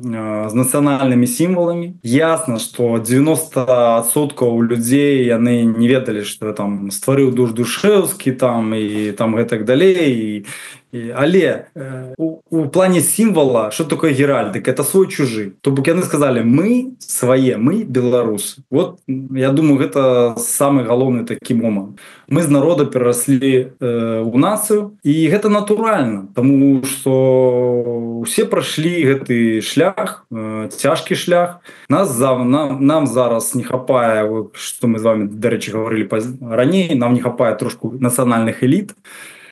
з нацыянальнымі сімваламі, ясна, што девяносто адсоткаў людзей яны не ведалі, што там стварыў Душ Душэўскі там і там гэтак далей, і але э, у, у плане символа, что такое геральдик? Это свой чужий. То бок яны сказали: мы свои, мы белорусы. Вот, я думаю, это самый головный таки момент. Мы з народа пераросли э, у нацию, и это натурально, потому что все прошли гэты шлях, э, тяжкий шлях. Нас, нам, нам зараз не хапае, что мы с вами, до речи, говорили ранее, нам не хапае трошку национальных элит.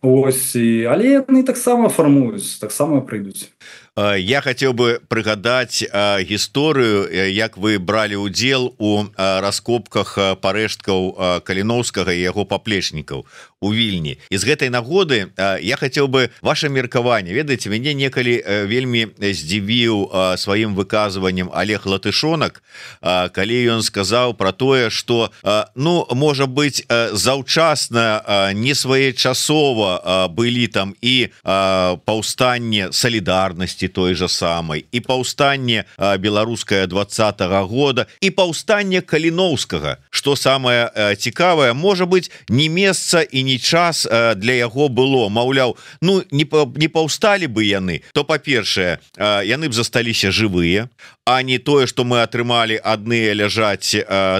Ось, але яны таксама фармуюць, таксама прыйдуць. Я хотел бы прыгадаць гісторыю, як вы бралі ўдзел у раскопках парэшткаў Каліноўскага і яго паплечнікаў у Вільні. І з гэтай нагоды я хотел бы ваше меркаванне. Ведаеце, мяне некалі вельмі здзівіў сваім выказваннем Олег Латышонак, калі ён сказаў про тое, что ну, можа быть, заўчасна, не своечасова былі там і паўстанне Салідарнасці той же самой, и паўстанне беларускае двадцатого года, и паўстанне Каліноўскага. Что самое цікавае, можа быть, не месца и не час для яго было. Маўляў, ну не, не паўсталі бы яны, то па-першае, яны б засталіся жывыя, а не тое, что мы атрымалі адныя ляжаць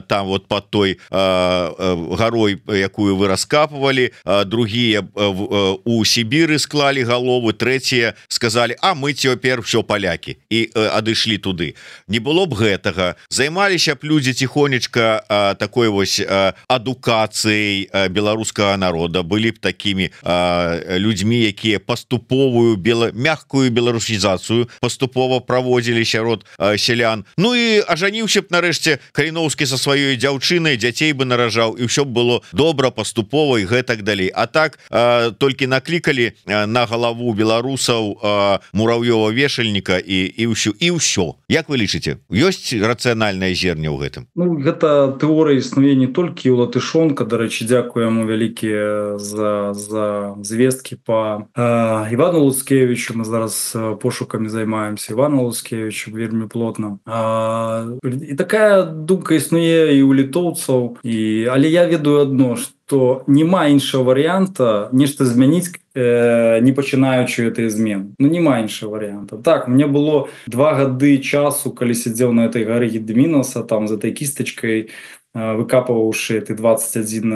там вот под той гарой, якую вы раскапывали, другие у Сібіры склали головы, третьи сказали: а мы цяпер все палякі, і адышлі туды. Не было б гэтага, займаліся б людзі тихонечка такой вось адукацыяй беларускага народа, былі б такими людзьмі, якія паступовую бела... мягкую беларусізацыю паступова праводзілі сярод сялян. Ну і ажаніўся б нарэшце Каліноўскі са сваёй дзяўчынай, дзяцей бы наражаў, і ўсё б было добра, паступова і гэтак далей. А так толькі наклікалі на галаву беларусаў Муравьёва смеццёва вешальніка і і ўсё і ўсё. Як вы лічыце, ёсць рацыянальнае зерне ў гэтым? Ну, гэта тэорыя існуе не толькі ў Латышонка. Дарэчы, дзякую яму вялікія за, за звесткі па э, Івану Луцкевічу. Мы зараз пошукамі займаемся Івану Луцкевічу вельмі плотна. А, і такая думка існуе і ў літоўцаў, і але я ведаю адно, што няма іншага варыянта нешта змяніць, э, не пачынаючы гэтай змены. Ну, няма іншага варыянта. Так, мне было два гады часу, калі сядзеў на этой гары Гедмінаса, там за этой кістачкай, выкапываўшы ты двадцать один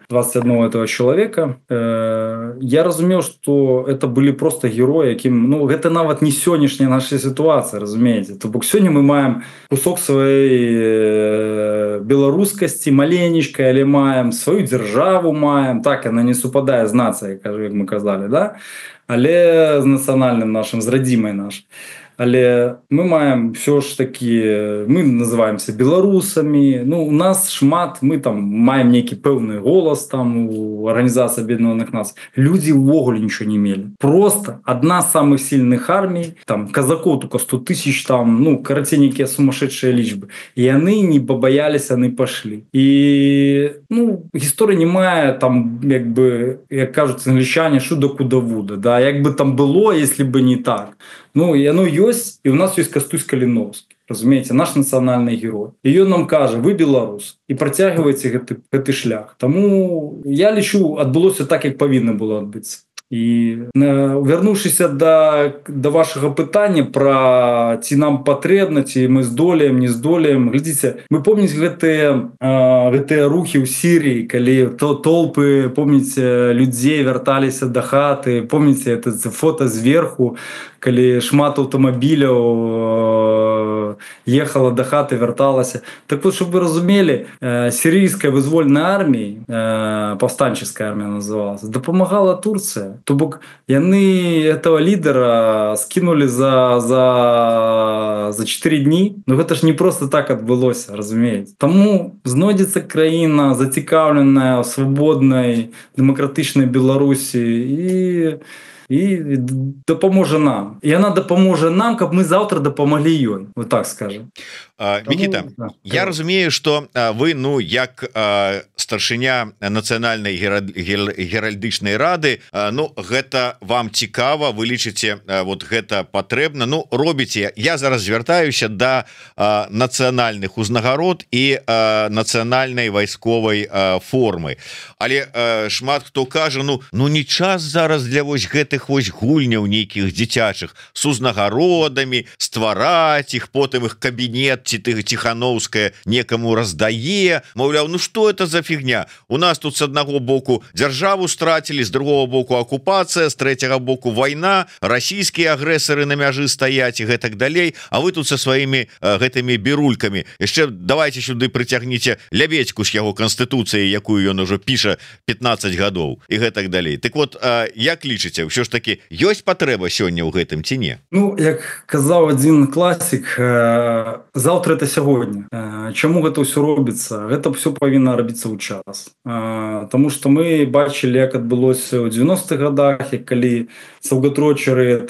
двадцать одного этого человека, э, я разумеў, что это были просто герои, якім, ну, гэта нават не сённяшняя наша ситуация, разумееце. То бок сёння мы маем кусок сваёй э, беларускасці маленечкай, але маем сваю дзяржаву, маем, так, она не супадае з нацыяй, кажу, як мы казалі, да? Але з нацыянальным нашим, з радзімай нашай. Але мы маем все ж таки, мы называемся беларусамі. Ну, у нас шмат, мы там маем нейкі пэўны голас там у Арганізацыі Аб'яднаных Нацый. Людзі ўвогуле нічого не мелі. Просто одна з самых сильных армій, там казакоў только сто тысяч, там, ну, карацей, нейкія сумасшедшие лічбы. І яны не побаялись, яны пошли. І, ну, гісторыя не мае там, як бы, як кажуць англічане, шуда куда вуда, да, як бы там было, если бы не так. Ну, і оно ёсць, і у нас ёсць Кастусь Каліновскі, разумееце, наш нацыянальны герой. І ён нам кажа: вы беларус, і працягваеце гэты, гэты шлях. Таму я лічу, адбылося так, як павінна было адбыцца. І вярнуўшыся да, да вашага пытання пра ці нам патрэбна, ці мы здолеем, не здолеем, глядзіце, мы помніць гэтыя, гэтыя рухі ў Сірыі, калі то толпы, помніце, людзей вярталіся да хаты, помніце это фото зверху, калі шмат аўтамабіляў ехала да хаты, вярталася. Так вот, чтобы вы разумелі, сірыйская вызвольная армія, паўстанческая армія называлась, дапамагала Турцыя. То бок яны этого лідера скинули за, за, за четыре дні. Ну гэта ж не просто так адбылося, разумееце. Таму знойдзецца краіна зацікаўленая ў свабоднай дэмакратычнай Беларусі і і дапаможа нам. І яна дапаможа нам, каб мы заўтра дапамаглі ёй, вот так скажем. Мікіта, я разумею, што вы, ну, як старшыня нацыянальнай геральдычнай рады, ну, гэта вам цікава, вы лічыце, вот гэта патрэбна, ну, робіце. Я зараз звяртаюся да нацыянальных узнагарод і нацыянальнай вайсковай формы. Але шмат хто кажа, ну, ну не час зараз для вось гэтых вось гульняў нейкіх дзіцячых с узнагародамі, ствараць іх, потым іх кабінет ці ты Ціхановская некаму раздае, маўляў, ну что это за фігня? У нас тут с аднаго боку дзяржаву страцілі, з другого боку акупацыя, з трэцяга боку вайна, расійскія агрэсары на мяжы стаяць і гэтак далей, а вы тут со сваімі гэтымі бірулькамі. Яшчэ давайте сюды прыцягніце Лябедзьку з яго канстытуцыяй, якую ён ужо піша пятнадцать гадоў і гэтак далей. Так вот, як лічыце, ўсё ж таки ёсць патрэба сёння ў гэтым ці не? Ну, як казаў адзін класік, заўтра это сягоння. Чаму гэта ўсё робіцца? Гэта ўсё павінна рабіцца ў час. Таму што мы бачылі, як адбылося ў девяностых годах, як калі саўгатрочары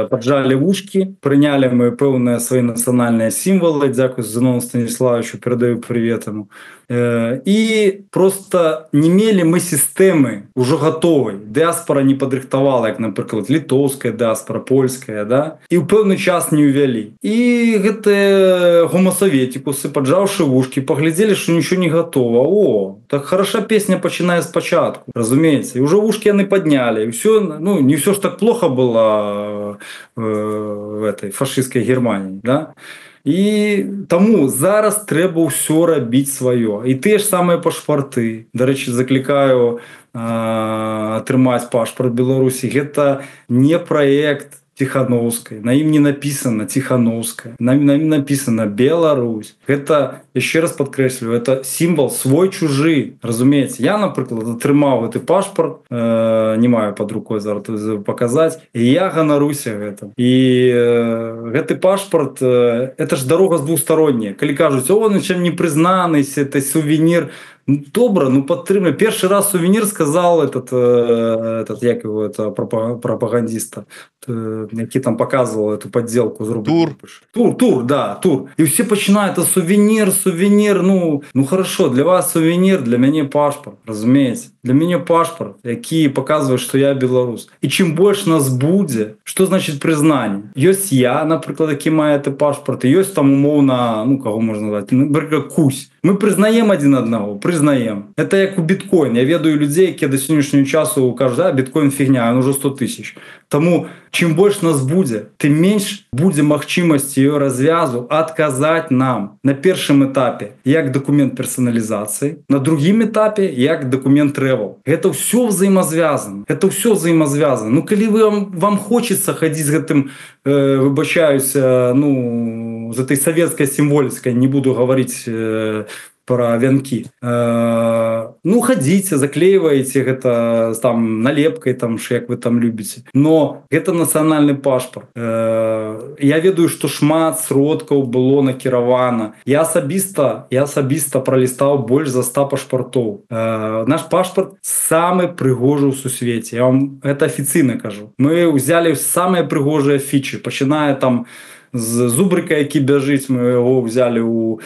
паджалі вушкі, прынялі мы пэўныя свае нацыянальныя сімвалы, дзякую Зінову Станіславовичу, перадаю привет ему. І просто не мелі мы сістэмы ўжо гатовай. Дыаспора не падрыхтавала, як, напрыклад, літоўская дыаспора, польская, да? І ў пэўны час не ўвялі. І гэтыя гомасаветікусы, паджаўшы вушкі, паглядзелі, што нічого не гатова. О, так хороша песня пачынае спачатку, разумееце. І ўжо вушкі яны паднялі. І ўсё, ну, не ўсё ж так плохо было в этой фашистской Германии, да? І таму зараз трэба ўсё рабіць сваё. І тыя ж самыя пашпарты. Дарэчы, заклікаю атрымаць пашпарт Беларусі. Гэта не праект Тихановскай. На ім не написано Тихановская. На ім написано Беларусь. Гэта, яшчэ раз падкрэслю, это сімвал свой-чужы. Разумееце, я, напрыклад, атрымаў гэты пашпарт, э, не маю пад рукой зараз паказаць, і я ганаруся гэтым. І э, гэты пашпарт, э, это ж дарога з двухсторонняя. Калі кажуць, о, он нічым не прызнаны, это сувенір, Ну, добра, ну падтрымлю. Першы раз сувенір сказал этот, этот як его, это пропагандиста, які там показывал эту подделку з Тур. Тур, тур, да, тур. І всі починають, это сувенір, сувенір, ну, ну хорошо, для вас сувенір, для мяне пашпорт, разумеется. Для мяне пашпорт, які показвае, што я беларус. І чым больш нас будзе, што значит признание? Ёсць я, напрыклад, які мае ты пашпорт, і ёсць там умоўна, ну, каго можна назваць, напрыклад, Кусь. Мы прызнаем адзін аднаго, прызнаем. Это як у біткоін. Я ведаю людзей, якія да сённяшняго часу кажуць, а, біткоін фігня, ён ужо сто тысяч. Таму, чым больш нас будзе, тым менш будзе магчымасці её развязу адказаць нам на першым этапе як дакумент персоналізацыі, на другім этапе як дакумент travel. Гэта ўсё взаимозвязано. Это ўсё взаимозвязано. Ну, калі вам, вам хочется хадзіць з гэтым, э, выбачаюся, ну, з этой советской символикой, не буду говорить э, про вянки. Э, ну, ходите, заклеиваете это там налепкой, там, як вы там любите. Но это национальный пашпорт. Э, я ведаю, что шмат сродкаў было накіравана. Я асабіста, я асабіста пролистал больше за ста пашпартов. Э, наш пашпорт самый прыгожий у сусвете. Я вам это официально кажу. Мы взяли самые прыгожие фичи, починая там з зубрика, які бяжыць, мы яго взяли у,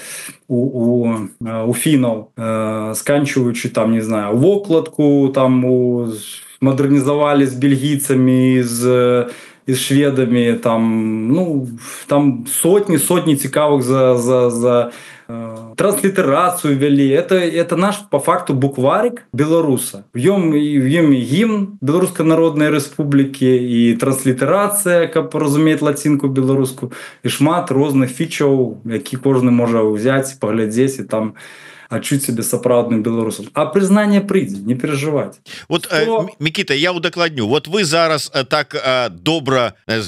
у, у, у фінаў, э, сканчиваючи там, не знаю, вокладку, там у, модернизовали с бельгийцами, з, з шведами, там, ну, там сотни, сотни цікавых за, за, за э, транслитерацию ввели. Это, это наш, по факту, букварик белоруса. В нем, в нем и гимн Белорусской Народной Республики, и транслитерация, как разумеет латинку белорусскую, и шмат розных фичаў, які кожны можа взять, поглядеть, и там адчуць себе сапраўдным беларусам. А признание прыйдзе, не переживать. Вот, Что... э, Микита, я удакладню. Вот вы зараз э, так э, добра, э,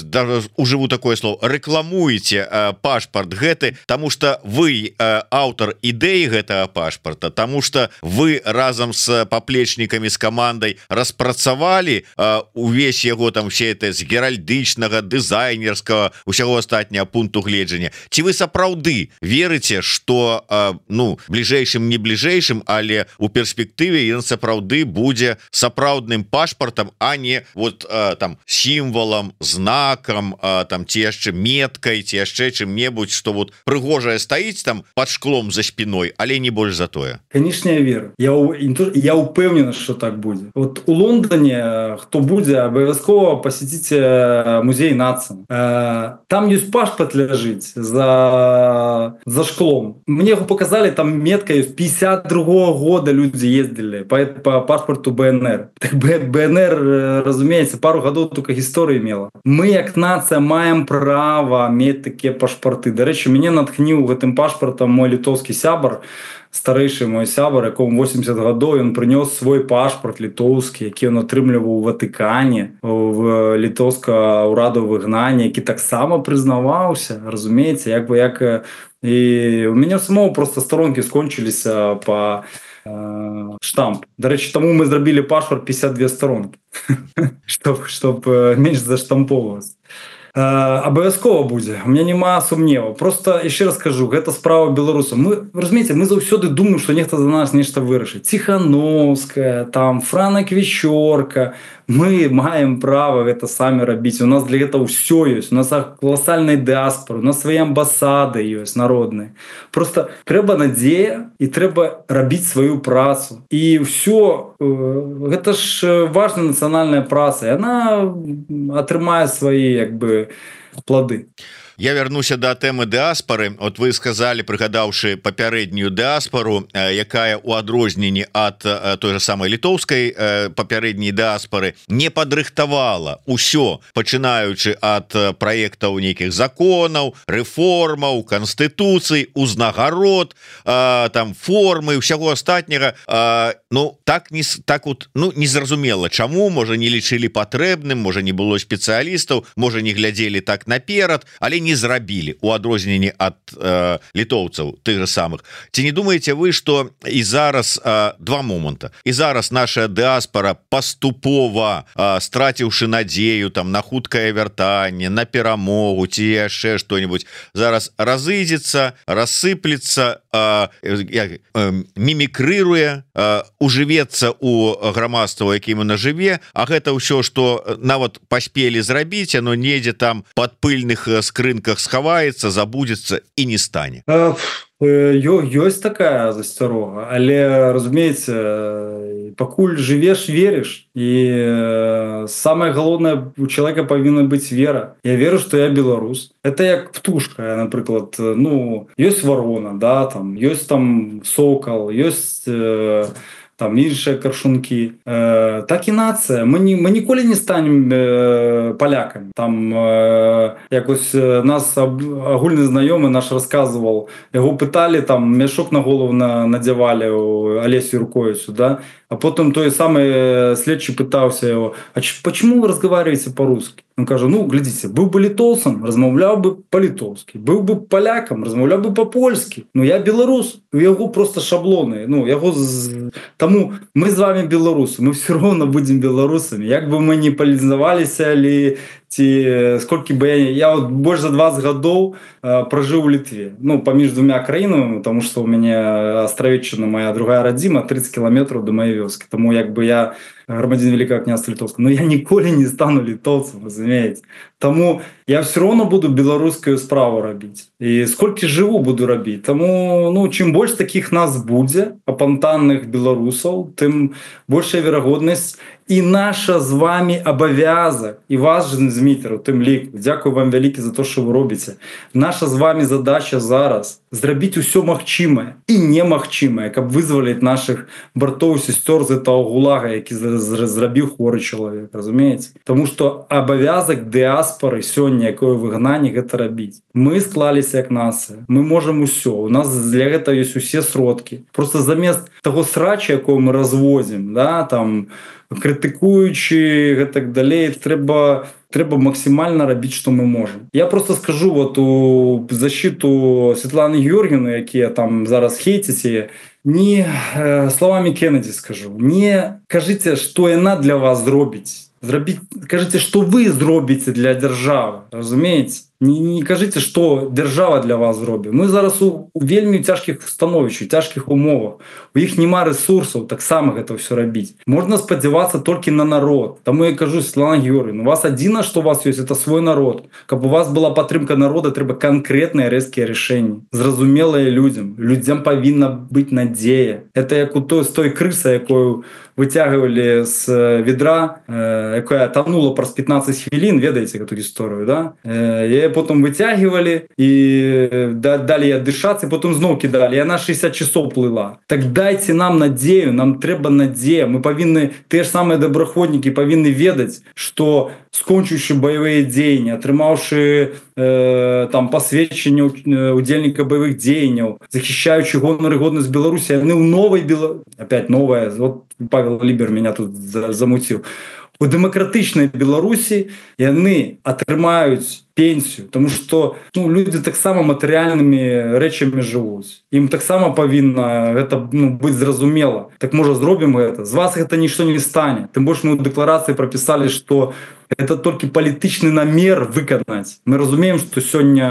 ужыву такое слово, рекламуете э, пашпарт гэты, тому что вы э, аўтар ідэі гэтага пашпарта, тому что вы разом с поплечниками, с командой распрацавалі э, увесь яго там все это з геральдычнага, дызайнерскага, усяго астатняга пункту гледжання. Ці вы сапраўды верыце, что э, ну, бліжэйшым не бліжэйшым, але у перспектыве ён сапраўды будзе сапраўдным пашпартам, а не вот э, там сімвалам, знакам, э, там ці яшчэ меткай, ці яшчэ чым-небудзь, што вот прыгожае стаіць там под шклом за спиной, але не больш за тое. Конечно, я веру. Я, я упэўнены, что так будзе. Вот у Лондоне, хто будзе, абавязкова посетите музей нацыі. Э, там ёсць пашпарт ляжыць за, за шклом. Мне его показали, там метка пятьдесят другого года люди ездили по, по паспорту БНР. Так БНР, разумеется, пару годов только истории имела. Мы, как нация, маем право иметь такие пашпорты. До речі, меня натхнил гэтым пашпортом мой литовский сябар, старейший мой сябар, якому восемьдесят годов, он принес свой пашпорт литовский, який он атрымліваў у Ватикане, в литовского ураду выгнания, який так само признаваўся, разумеется, як бы як и у меня самого просто сторонки скончились по э, штамп. До речі, тому мы зробили пашпорт пятьдесят две сторонки, чтобы чтоб меньше заштамповываться. Абавязкова будзе, у меня няма сумневу. Просто яшчэ раз скажу, гэта справа беларусаў. Мы, разумееце, мы заўсёды думаем, што нехта за нас нешта вырашыць. Ціхановская, там Франа Квещорка. Мы маем права гэта самі рабіць. У нас для гэтага ўсё ёсць. У нас колоссальная дыаспора, у нас свае амбасады ёсць народныя. Просто трэба надзея і трэба рабіць сваю працу. І ўсё, гэта ж важная нацыянальная праца. І яна атрымае свае, як бы, плоды. Я вернуся до тэмы дыаспары. Вот вы сказали, прыгадаўшы папярэднюю дыаспару, якая у адрозненні ад той же самой літоўскай папярэдняй дыаспары не падрыхтавала ўсё, пачынаючы ад праектаў нейкіх законаў, рэформаў, канстытуцый, узнагарод, там формы, усяго астатняга. Ну так не так вот, ну незразумела, чаму, можа не лічылі патрэбным, можа не было спецыялістаў, можа не глядзелі так наперад, але не не зрабілі у адрозненні ад э, літоўцаў тых же самых. Ці не думаеце вы, што і зараз э, два моманта, і зараз наша дыаспара паступова, э, страціўшы надзею там на хуткае вяртанне, на перамогу ці яшчэ што-нибудь, зараз разыдзецца, рассыплецца, э, э, э, мімікрыруе, э, ужывецца у грамадства, якім на жыве, а гэта ўсё, што нават паспелі зрабіць, оно недзе там под пыльных скрынках схаваецца, забудзецца і не стане. Ёсць такая засцярога, але разумееце, пакуль жывеш, верыш, і самае галоўнае, у чалавека павінна быць вера. Я веру, што я беларус. Это як птушка, напрыклад, ну, ёсць варона, да, там, ёсць там сокал, ёсць э, там іншыя каршункі. Э, так і нацыя. Мы, не, мы ніколі не станем э, палякамі. Там э, якось нас агульны знаёмы наш расказваў, яго пыталі, там мяшок на голову на, надзявалі у Алесю Юрковичу, да? А потом той самый следчий пытался его: а почему вы разговариваете по-русски? Он кажа: ну, глядите, был бы литовцем, размовлял бы по-литовски, был бы поляком, размовлял бы по-польски. Ну, я белорус, у его просто шаблоны. Ну, его... Тому мы с вами белорусы, мы все равно будем белорусами. Як бы мы не полизовались, или ці сколько бы я... Я вот больше за двадцать годов э, прожил в Литве. Ну, поміж двумя краинами, потому что у меня Островеччина, моя другая родима, тридцать километров до моей вёски. Тому як бы я громадянин Великого княжества Литовского, но я ніколи не стану литовцем, разумеете. Тому я все равно буду белорусскую справу робить. И сколько живу, буду робить. Тому, ну, чим больше таких нас буде, апантанных белорусов, тим большая вероятность. І наша з вами обов'язок, і вас, Змітеру, тим лік, дякую вам велике за те, що ви робите. Наша з вами задача зараз – зробити усе магчиме і немагчиме, каб визволити наших братів і сестер з того гулага, який зробив хворий чоловік, розумієте? Тому що обов'язок діаспори сьогодні, якої вигнання, це робити. Ми склалися як нація, ми можемо усе, у нас для цього є усі сродки. Просто замість того срача, якого ми розвозимо, да, там, критикуючи і так далі, треба, треба максимально робити, що ми можемо. Я просто скажу вот у защиту Світлани Георгіївни, які там зараз хейтите, не э, словами Кеннеді скажу, не кажите, що вона для вас зробить. Зробіть, кажите, що ви зробите для держави, розумієте? Не, не кажите, що держава для вас зробить. Ми зараз у, у вельми тяжких становищах, у тяжких умовах. У їх нема ресурсів так само це все робити. Можна сподіватися тільки на народ. Тому я кажу, Світлана Георгіївна, у вас єдине, що у вас є, це свій народ. Щоб у вас була підтримка народу, треба конкретне різке рішення. Зрозуміле людям. Людям повинна бути надія. Це як у той, з той криси, якою витягували з відра, яка тонула про пятнадцать хвилин, ведаете эту историю, да? Ее потом вытягивали, и дали ей дышаться, и потом снова кидали, и она шестьдесят часов плыла. Так дайте нам надею, нам треба надея. Мы повинны, те же самые доброходники, повинны ведать, что скончивши бойові дії, отримавши е, там посвідчення удільника бойових дій, захищаючи гонор і годність Білорусі, вони в новій Білорусі, опять новая, от Павел Лібер мене тут замутив, у демократичній Білорусі вони отримають пенсію, тому що ну, люди так само матеріальними речами живуть. Їм так само повинно це ну, бути зрозуміло. Так може зробимо це? З вас це нічого не стане. Тим більше ми в декларації прописали, що це тільки політичний намір виконати. Ми розуміємо, що сьогодні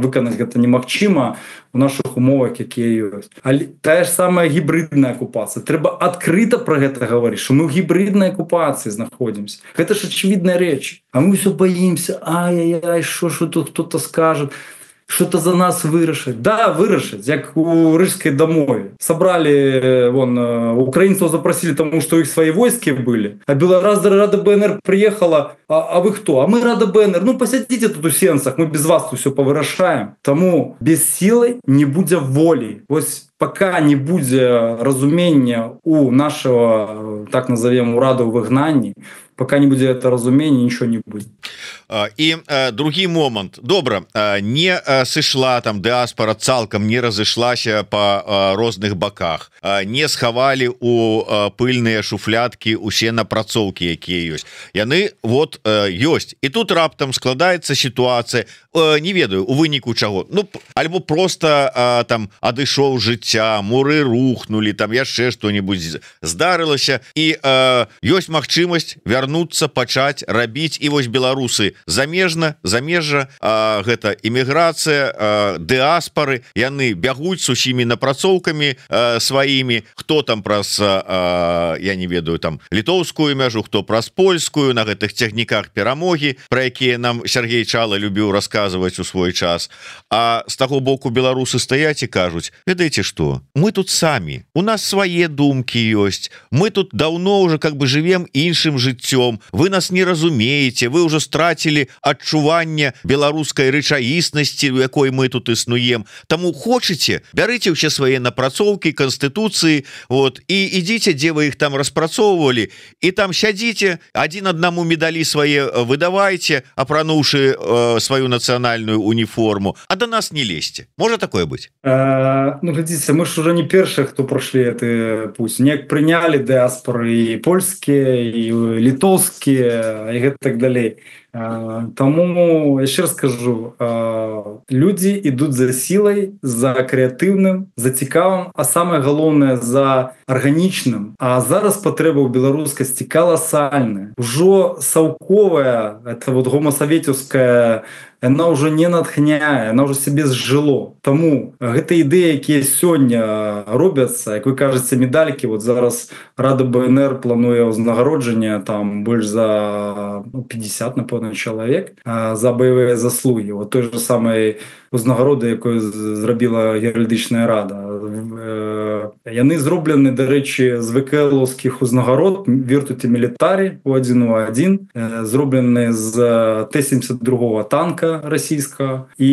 виконати це неможливо у наших умовах, які є. Але та ж сама гібридна окупація. Треба відкрито про це говорити, що ми в гібридній окупації знаходимося. Це ж очевидна річ. А ми все боїмося. Ай-яй-яй, що, що тут хтось скаже. Что-то за нас вирішить. Да, вирішить, як у Рижській домові. Собрали, вон, украинцев запросили, тому что их свои войски были. А Белорус Рада БНР приехала, а, а вы кто? А мы Рада БНР. Ну, посидите тут у сенцах, мы без вас тут все повирішаємо. Тому без сили не буде волі. Ось пока не буде розуміння у нашого, так назовем, Раду вигнанні, пока не будет это разумение, ничего не будет. І э, другі момант. Добра, э, не э, сышла там дыаспора цалкам, не разышлася по э, розных баках, э, не схавалі у э, пыльныя шуфляткі усе напрацоўкі, якія ёсць. Яны вот э, ёсць. І тут раптам складаецца сітуацыя, э, не ведаю, у выніку чаго. Ну, альбо просто э, там адышоў жыцця, муры рухнули, там яшчэ што-нибудь здарылася, і э, ёсць магчымасць вярнуцца, пачаць рабіць, і вось беларусы замежна замежжа гэта эміграцыя дыаспары яны бягуць с усімі напрацоўкамі сваімі хто там праз я не ведаю там літоўскую мяжу хто праз польскую на гэтых цягніках перамогі про якія нам Сергей Чала любіў расказваць у свой час а з таго боку беларусы стаяць і кажуць ведаеце что мы тут самі у нас свае думкі ёсць мы тут давно уже как бы живем іншым жыццём вы нас не разумееце вы уже страцілі адчуванне беларускай рэчаіснасці у якой мы тут існуем таму хочаце бярыце ўсе свае напрацоўкі канстытуцыі вот і ідзіце дзе вы іх там распрацоўвалі і там сядзіце адзін аднаму медалі свае выдавайце апрануўшы э, сваю нацыянальную уніформу а до нас не лезьте можа такое быть а, ну глядзіце мы ж уже не першыя хто пройшлі это пусть неяк прынялі дыаспоры і польскія і літоўскія і гэта так далей Тому яшчэ раз скажу людзі ідуць за сілай за крэатыўным за цікавым а самае галоўнае за арганічным а зараз патрэба ў беларускасці каласальная ужо саўковая это вот гомасаветаўская она уже не натхняе она уже себе зжыло тому гэта ідэі якія сёння робяцца як вы кажаце медалькі вот зараз Рада БНР плануе ўзнагароджанне там больш за пятьдесят напэўна чалавек за баявыя заслугі вот той же самой узнагароды якую зрабіла геральдычная рада яны зроблены дарэчы з вКлаўскіх узнагарод вертуці мілітарі у адзін у адзін зроблены з Т семьдесят два танка расійскага і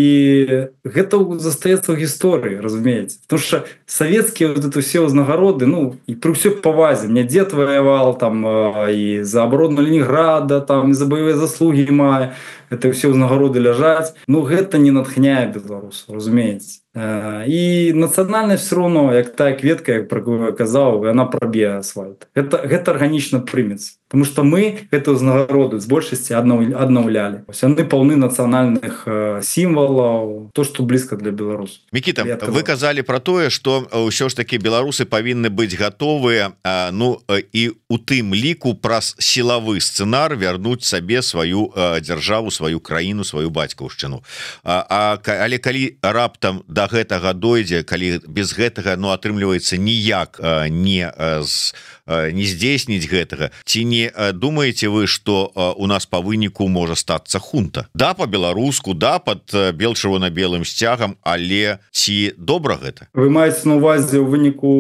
гэта застаецца ў гісторыі разумееце потому что савецкія вот это все узнагароды ну і пры ўсёй павазе мне дзед ваявал там і за абарону Ленінграда там і за баявыя заслугі мае это все ўзнагароды ляжаць ну гэта не натхняе беларус разумееце і нацыянальнасць все равно як тая кветка як про казаў она праб'е асфальт это гэта арганічна прымецца потому что мы гэта ўзнагароды з большасці аднаўлялі яны паўны нацыянальных сімвалаў то что блізка для беларусаў. Мікіта вы казалі про тое что ўсё ж таки беларусы павінны быць гатовыя ну і у тым ліку праз сілавы сцэнар вярнуць сабе сваю дзяржаву сваю краіну сваю бацькаўшчыну а, а але калі раптам да гэтага дойдзе калі без гэтага ну атрымліваецца ніяк не з не здзейсніць гэтага ці не думаеце вы что у нас по выніку можа стацца хунта да по-беларуску да под бел-чырвона-белым сцягам але ці добра гэта вы маеце на увазе ў выніку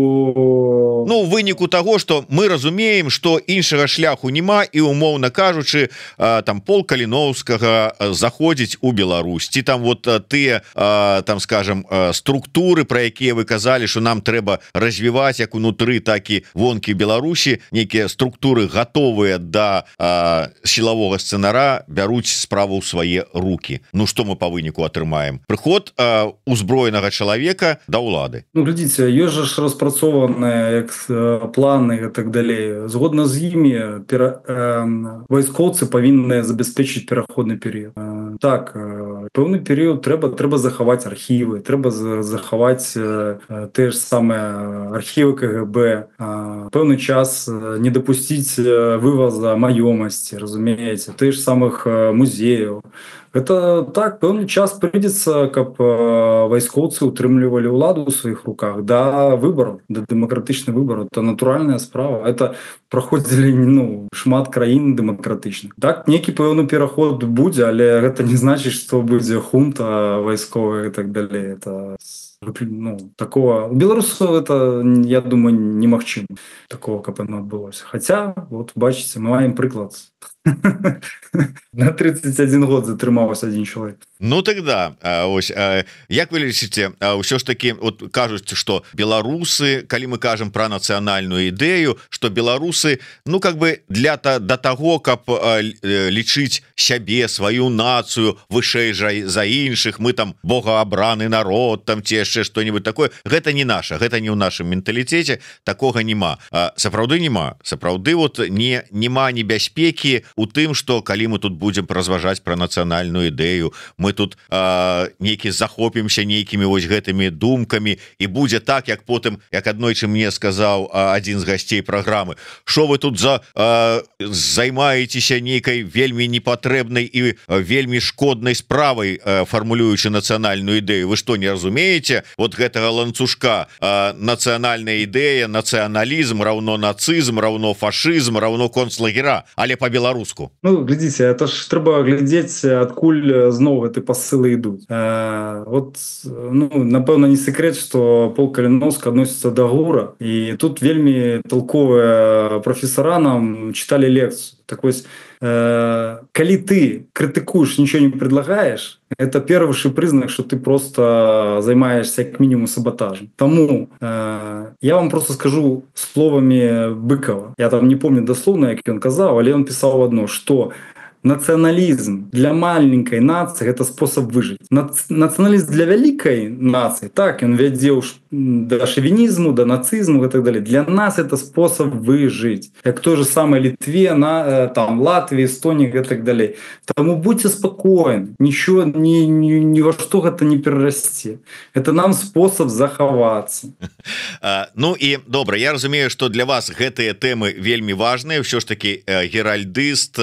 ну выніку того что мы разумеем что іншага шляху няма і умоўна кажучы там пол Каліноўскага заходзіць у Беларусь ці там вот тыя там скажем структуры про якія вы казалі что нам трэба развіваць як унутры так і вонкі Беларусі нейкія структуры готовыя да а, сілавога сцэнара бяруць справу ў свае руки ну что мы по выніку атрымаем прыход а, узброенага чалавека да ўлады ну глядзіце ёсць жа ж распрацованыя як планы і так далей згодна з імі пера, э, вайскоўцы павінны забяспечыць пераходны перыяд э, так э, пэўны перыяд трэба трэба захаваць архівы трэба захаваць э, те ж самыя архівы КГБ э, пэўны час не допусціць вывоза маёмасці разумееце тых ж самых музеяў это так пэўны час прыйдзецца каб вайскоўцы утрымлівалі ўладу ў сваіх руках да выбораў да дэмакратычны выбор это натуральная справа это праходзілі ну шмат краін дэмакратычных так нейкі пэўны пераход будзе але гэта не значыць што будзе хунта вайсковая і так далей это ну, такого у беларусаў это я думаю немагчыма такого каб оно адбылося хотя вот бачыце мы маем прыклад на тридцать один год затрымаўся один чалавек ну тогда ось як вы лічыце ўсё ж таки вот кажуць что беларусы калі мы кажам про нацыянальную ідэю что беларусы ну как бы для то до того каб лічыць сябе сваю нацыю вышэй жа за іншых мы там богоабраны народ там ці яшчэ что-нибудь такое гэта не наша гэта не ў нашым менталітэце такога няма сапраўды няма сапраўды вот не няма небяспекі у тым что калі мы тут будем разважаць про нацыянальную ідэю, мы тут э, нейкі захопімся нейкімі вось гэтымі думкамі і будзе так як потым як аднойчы мне сказаў адзін з гасцей праграмы, що вы тут за э, займаецеся нейкай вельмі непатрэбнай і вельмі шкоднай справай, э, фармулюючы нацыянальную ідэю. Вы что, не разумееце вот гэтага ланцужка э, нацыянальная ідэя, нацыяналізм равно нацызм, равно фашызм, равно концлагера, але по-беларуску. Ну глядзіце, это ж трэба глядзець адкуль зноў гэты пасылы ідуць. Э, вот ну напэўна не секрет, что Пол Каліновскі адносіцца да ГУРа, і тут вельмі толковыя профессора нам читали лекцию. Так вось, э, калі ты критикуешь, ничего не предлагаешь, это первый признак, что ты просто займаешься как минимум саботажем. Тому э, я вам просто скажу словами Быкова. Я там не помню дословно, як он казал, але он писал одно, что национализм для маленькой нации – это способ выжить. Национализм для великой нации, так, он ведет до шовинизму, до нацизму и так далее. Для нас это способ выжить. Как в той же самой Литве, на, там, Латвии, Эстонии и так далее. Тому будьте спокойны, ничего, ни, ни, ни во что это не перерасти. Это нам способ заховаться. Ну и добра, я разумею, что для вас гэтыя темы вельмі важные. Все ж таки геральдыст,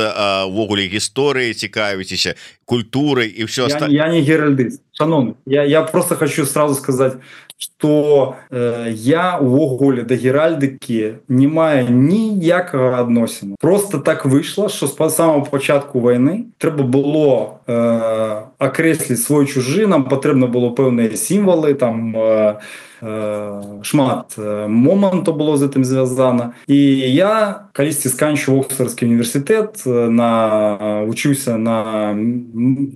увогуле гісторыі цікавіцеся, культурой и все остальное. Я, я не геральдист, шановный. Я, я просто хочу сразу сказать, что э, я увогуле до геральдики не маю ніякого адносіну. Просто так вышло, что с самого початку войны треба было э, окреслить свой чужий, нам потрібно було певні символи, там э, шмат моменту було з цим зв'язано. І я колись сканчував Оксфордський університет, на, учився на,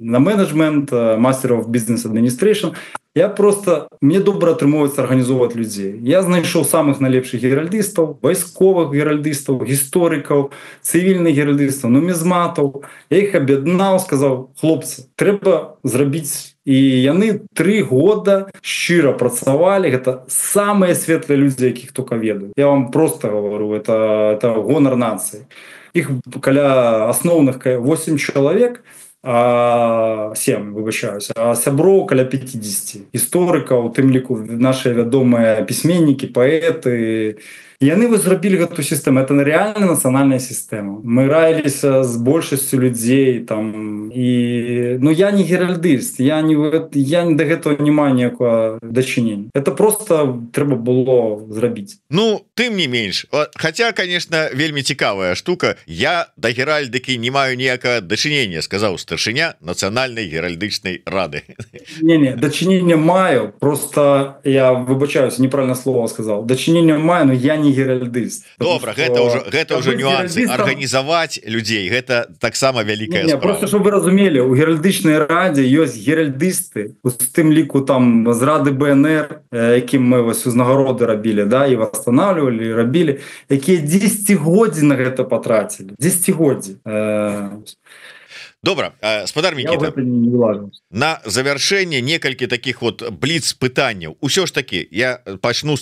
на менеджмент, Master of Business Administration. Я просто, мне добре отримується організовувати людей. Я знайшов самих найлепших геральдистів, військових геральдистів, істориків, цивільних геральдистів, нумізматів. Я їх об'єднав, сказав, хлопці, треба зробити. І вони три года щиро працювали. Это самые светлые люди, яких только ведаю. Я вам просто говорю, это, это гонор нации. Их каля основных восемь человек, а семь, вибачаюся, а сяброў каля пятьдесят. Історикаў, у тым ліку наши вядомыя письменники, поэты. И они зрабілі эту систему. Это реально национальная система. Мы раились с большасцю людей. Там, и... Но я не геральдист, я, не... я до этого не маю ніякого дачынення. Это просто трэба было зрабіць. Ну, тым не менш. Хотя, конечно, вельмі цікавая штука. Я до геральдыкі не маю ніякага дачынення, сказаў старшыня Нацыянальнай геральдычнай рады. Не-не, дачынення маю. Просто я, выбачаюсь, неправильно слово сказал. Дачынення маю, но я не геральдист. Добра, что... гэта уже гэта уже нюансы. Геральдистом... Арганізаваць людзей гэта таксама вялікая не, не, справа. Просто чтобы вы разумели, у геральдычнай радзе ёсць геральдисты, у тым ліку там з рады БНР, якім мы вось узнагароды рабілі, да, і восстанавливали, рабілі, якія дзесяцігоддзі на гэта потратили. дзесяцігоддзі. Э... Добра, спадар Мікіта, на завяршэнне некалькі таких вот бліц пытанняў. Усё ж таки я пачну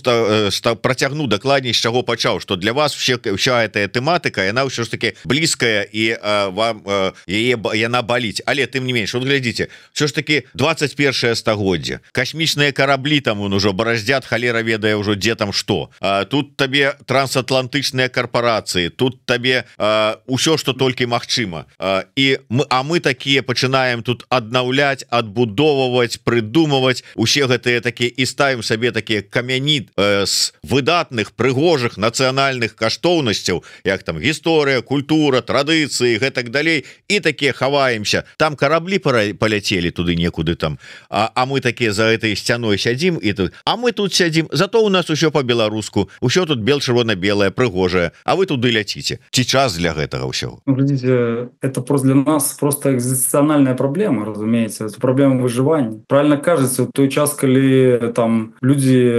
працягну дакладней, з чаго пачаў, что для вас все, вся эта тэматыка, яна ўсё ж таки блізкая і а, вам яе яна баліць. Але тым не менш, вот глядзіце, все ж таки двадцать первое стагоддзе, касмічныя караблі там он ужо бараздзят, халера ведае ўжо дзе там што. А, тут табе трансатлантычныя карпорацыі, тут табе а, ўсё што толькі магчыма. А, і мы А мы такие пачынаем тут аднаўляць, адбудоўваць, прыдумваць усе гэтыя такія і ставім сабе такія камяні э, з выдатных, прыгожых нацыянальных каштоўнасцяў, як там гісторыя, культура, традыцыі, гэтак далей, і такія хаваемся. Там караблі паляцелі туды некуды там. А, а мы такія за этой сцяной сядзім і тут. А мы тут сядзім, зато у нас усё по-беларуску, усё тут бел-чырвона-белае, прыгожае, а вы туды ляціце. Ці час для гэтага ўсё? Глядите, это просто для нас просто экзистенциальная проблема, разумеется, это проблема выживания. Правильно кажется, в той час, когда там люди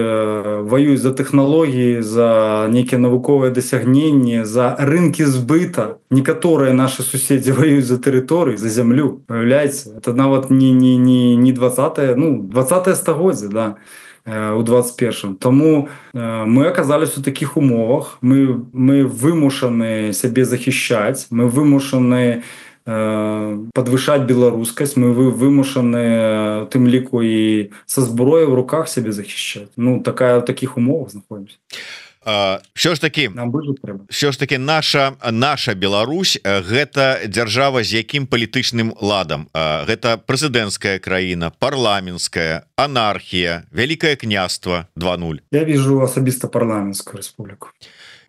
воюют за технологии, за некие навуковые досягнения, за рынки сбыта, некоторые наши соседи воюют за территорию, за землю, появляется. Это нават не, не, не, не двадцатое, ну, двадцатое стагоддзе, да. у двадцать первом. Тому мы оказались у таких умовах, мы, мы вымушаны себе захищать, мы вымушаны подвышаць беларускасць, мы вымушаны тым ліку і са зброяй в руках себе захищать. Ну такая в таких умовах знаходимся. Що ж таки що ж таки наша наша Беларусь гэта дзяржава з якім палітычным ладам? Гэта прэзідэнцкая краіна, парламенцкая, анархія, вялікае княства два нуль? Я вижу асабіста парламенцкую рэспубліку.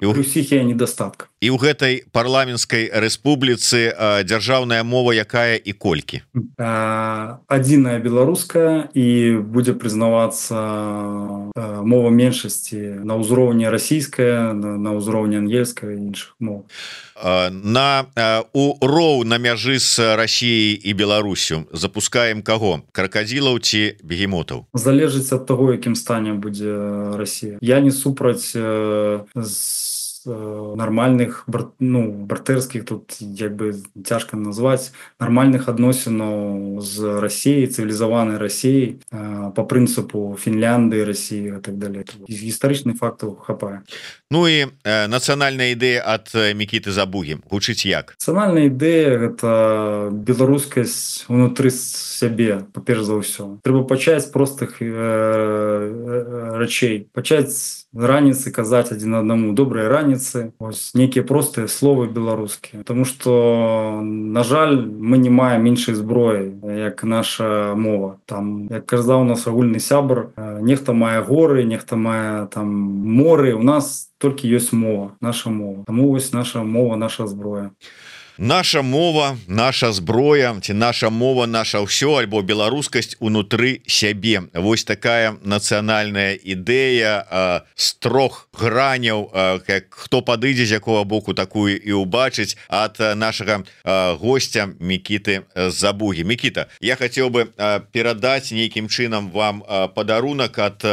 І ўсіх я недостатка. І ў гэтай парламенцкай рэспубліцы дзяржаўная мова якая і колькі? Адзіная беларуская, і будзе прызнавацца мова меншасці на ўзроўні расійская, на ўзроўні ангельская і іншых мов. На у роў на мяжы з Расіяй і Беларусю запускаем каго? Кракадзілаў ці бегемотаў? Залежыць ад таго, якім стане будзе Расія. Я не супраць з нормальных, ну, братэрскіх, тут як бы цяжка назваць, нормальных адносінаў з Расіяй, цывілізаванай Расіяй, по прынцыпу Фінляндыі, Расіі і так далее. Гістарычных фактаў хапае. Ну і э, нацыянальная ідэя ад Мікіты Забугі гучыць як? Нацыянальная ідэя гэта беларускасць унутры сябе, па-перш за ўсё. Трэба пачаць з простых э, э, рачэй, пачаць раніцы казаць адзін аднаму добрыя раніцы, ось нейкія простыя словы беларускія, потому что на жаль мы не маем іншай зброі як наша мова. Там як казаў у нас агульны сябр, нехта мае горы, нехта мае там моры, у нас толькі ёсць мова, наша мова. Таму вось наша мова, наша зброя. Наша мова, наша зброя, ці наша мова, наша ўсё, альбо беларускасць унутры сябе. Вось такая нацыянальная ідэя з трох граняў, як хто падыдзе з якога боку такую і ўбачыць, ад нашага гостя Мікіты Забугі. Мікіта, я хацеў бы перадаць нейкім чынам вам падарунак ад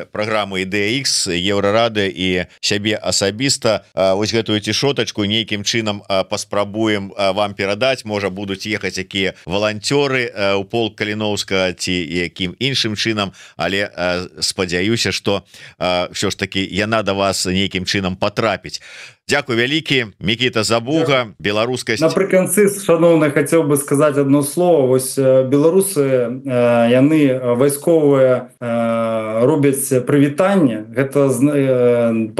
праграмы Ідэя Ікс, Еўрарады і сябе асабіста. Вось гэтую цішотачку нейкім чынам паспрабую вам перадаць, можа будуць ехаць якія валанцёры у полк Каліноўскага ці якім іншым чынам, але спадзяюся, што ўсё ж таки яна да вас нейкім чынам патрапіць. Дзякуй вялікі, Мікіта Забуга, беларускасць. Напрыканцы, шановны, хацеў бы сказаць одно слово. Вось беларусы, яны вайсковыя робяць прывітанне, гэта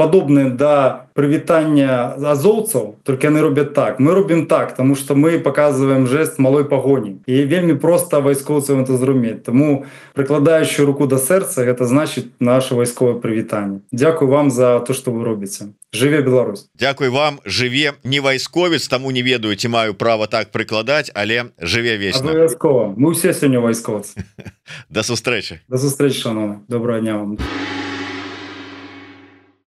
падобнае да прывітання азоўцаў, толькі яны робяць так. Мы робім так, тому што мы паказваем жэст малой пагоні. І вельмі проста вайскоўцам это зразумець. Таму прыкладаючы руку да сэрца, гэта значыць наше вайсковае прывітанне. Дзякуй вам за то, што вы робіце. Жыве Беларусь. Дзякуй вам, жыве не вайсковец, таму не ведаю, ці маю права так прыкладаць, але жыве вечна. Абавязкова. Мы ўсе сёння вайскоўцы. Да сустрэчы. Да сустрэчы, шановны. Доброго дня вам.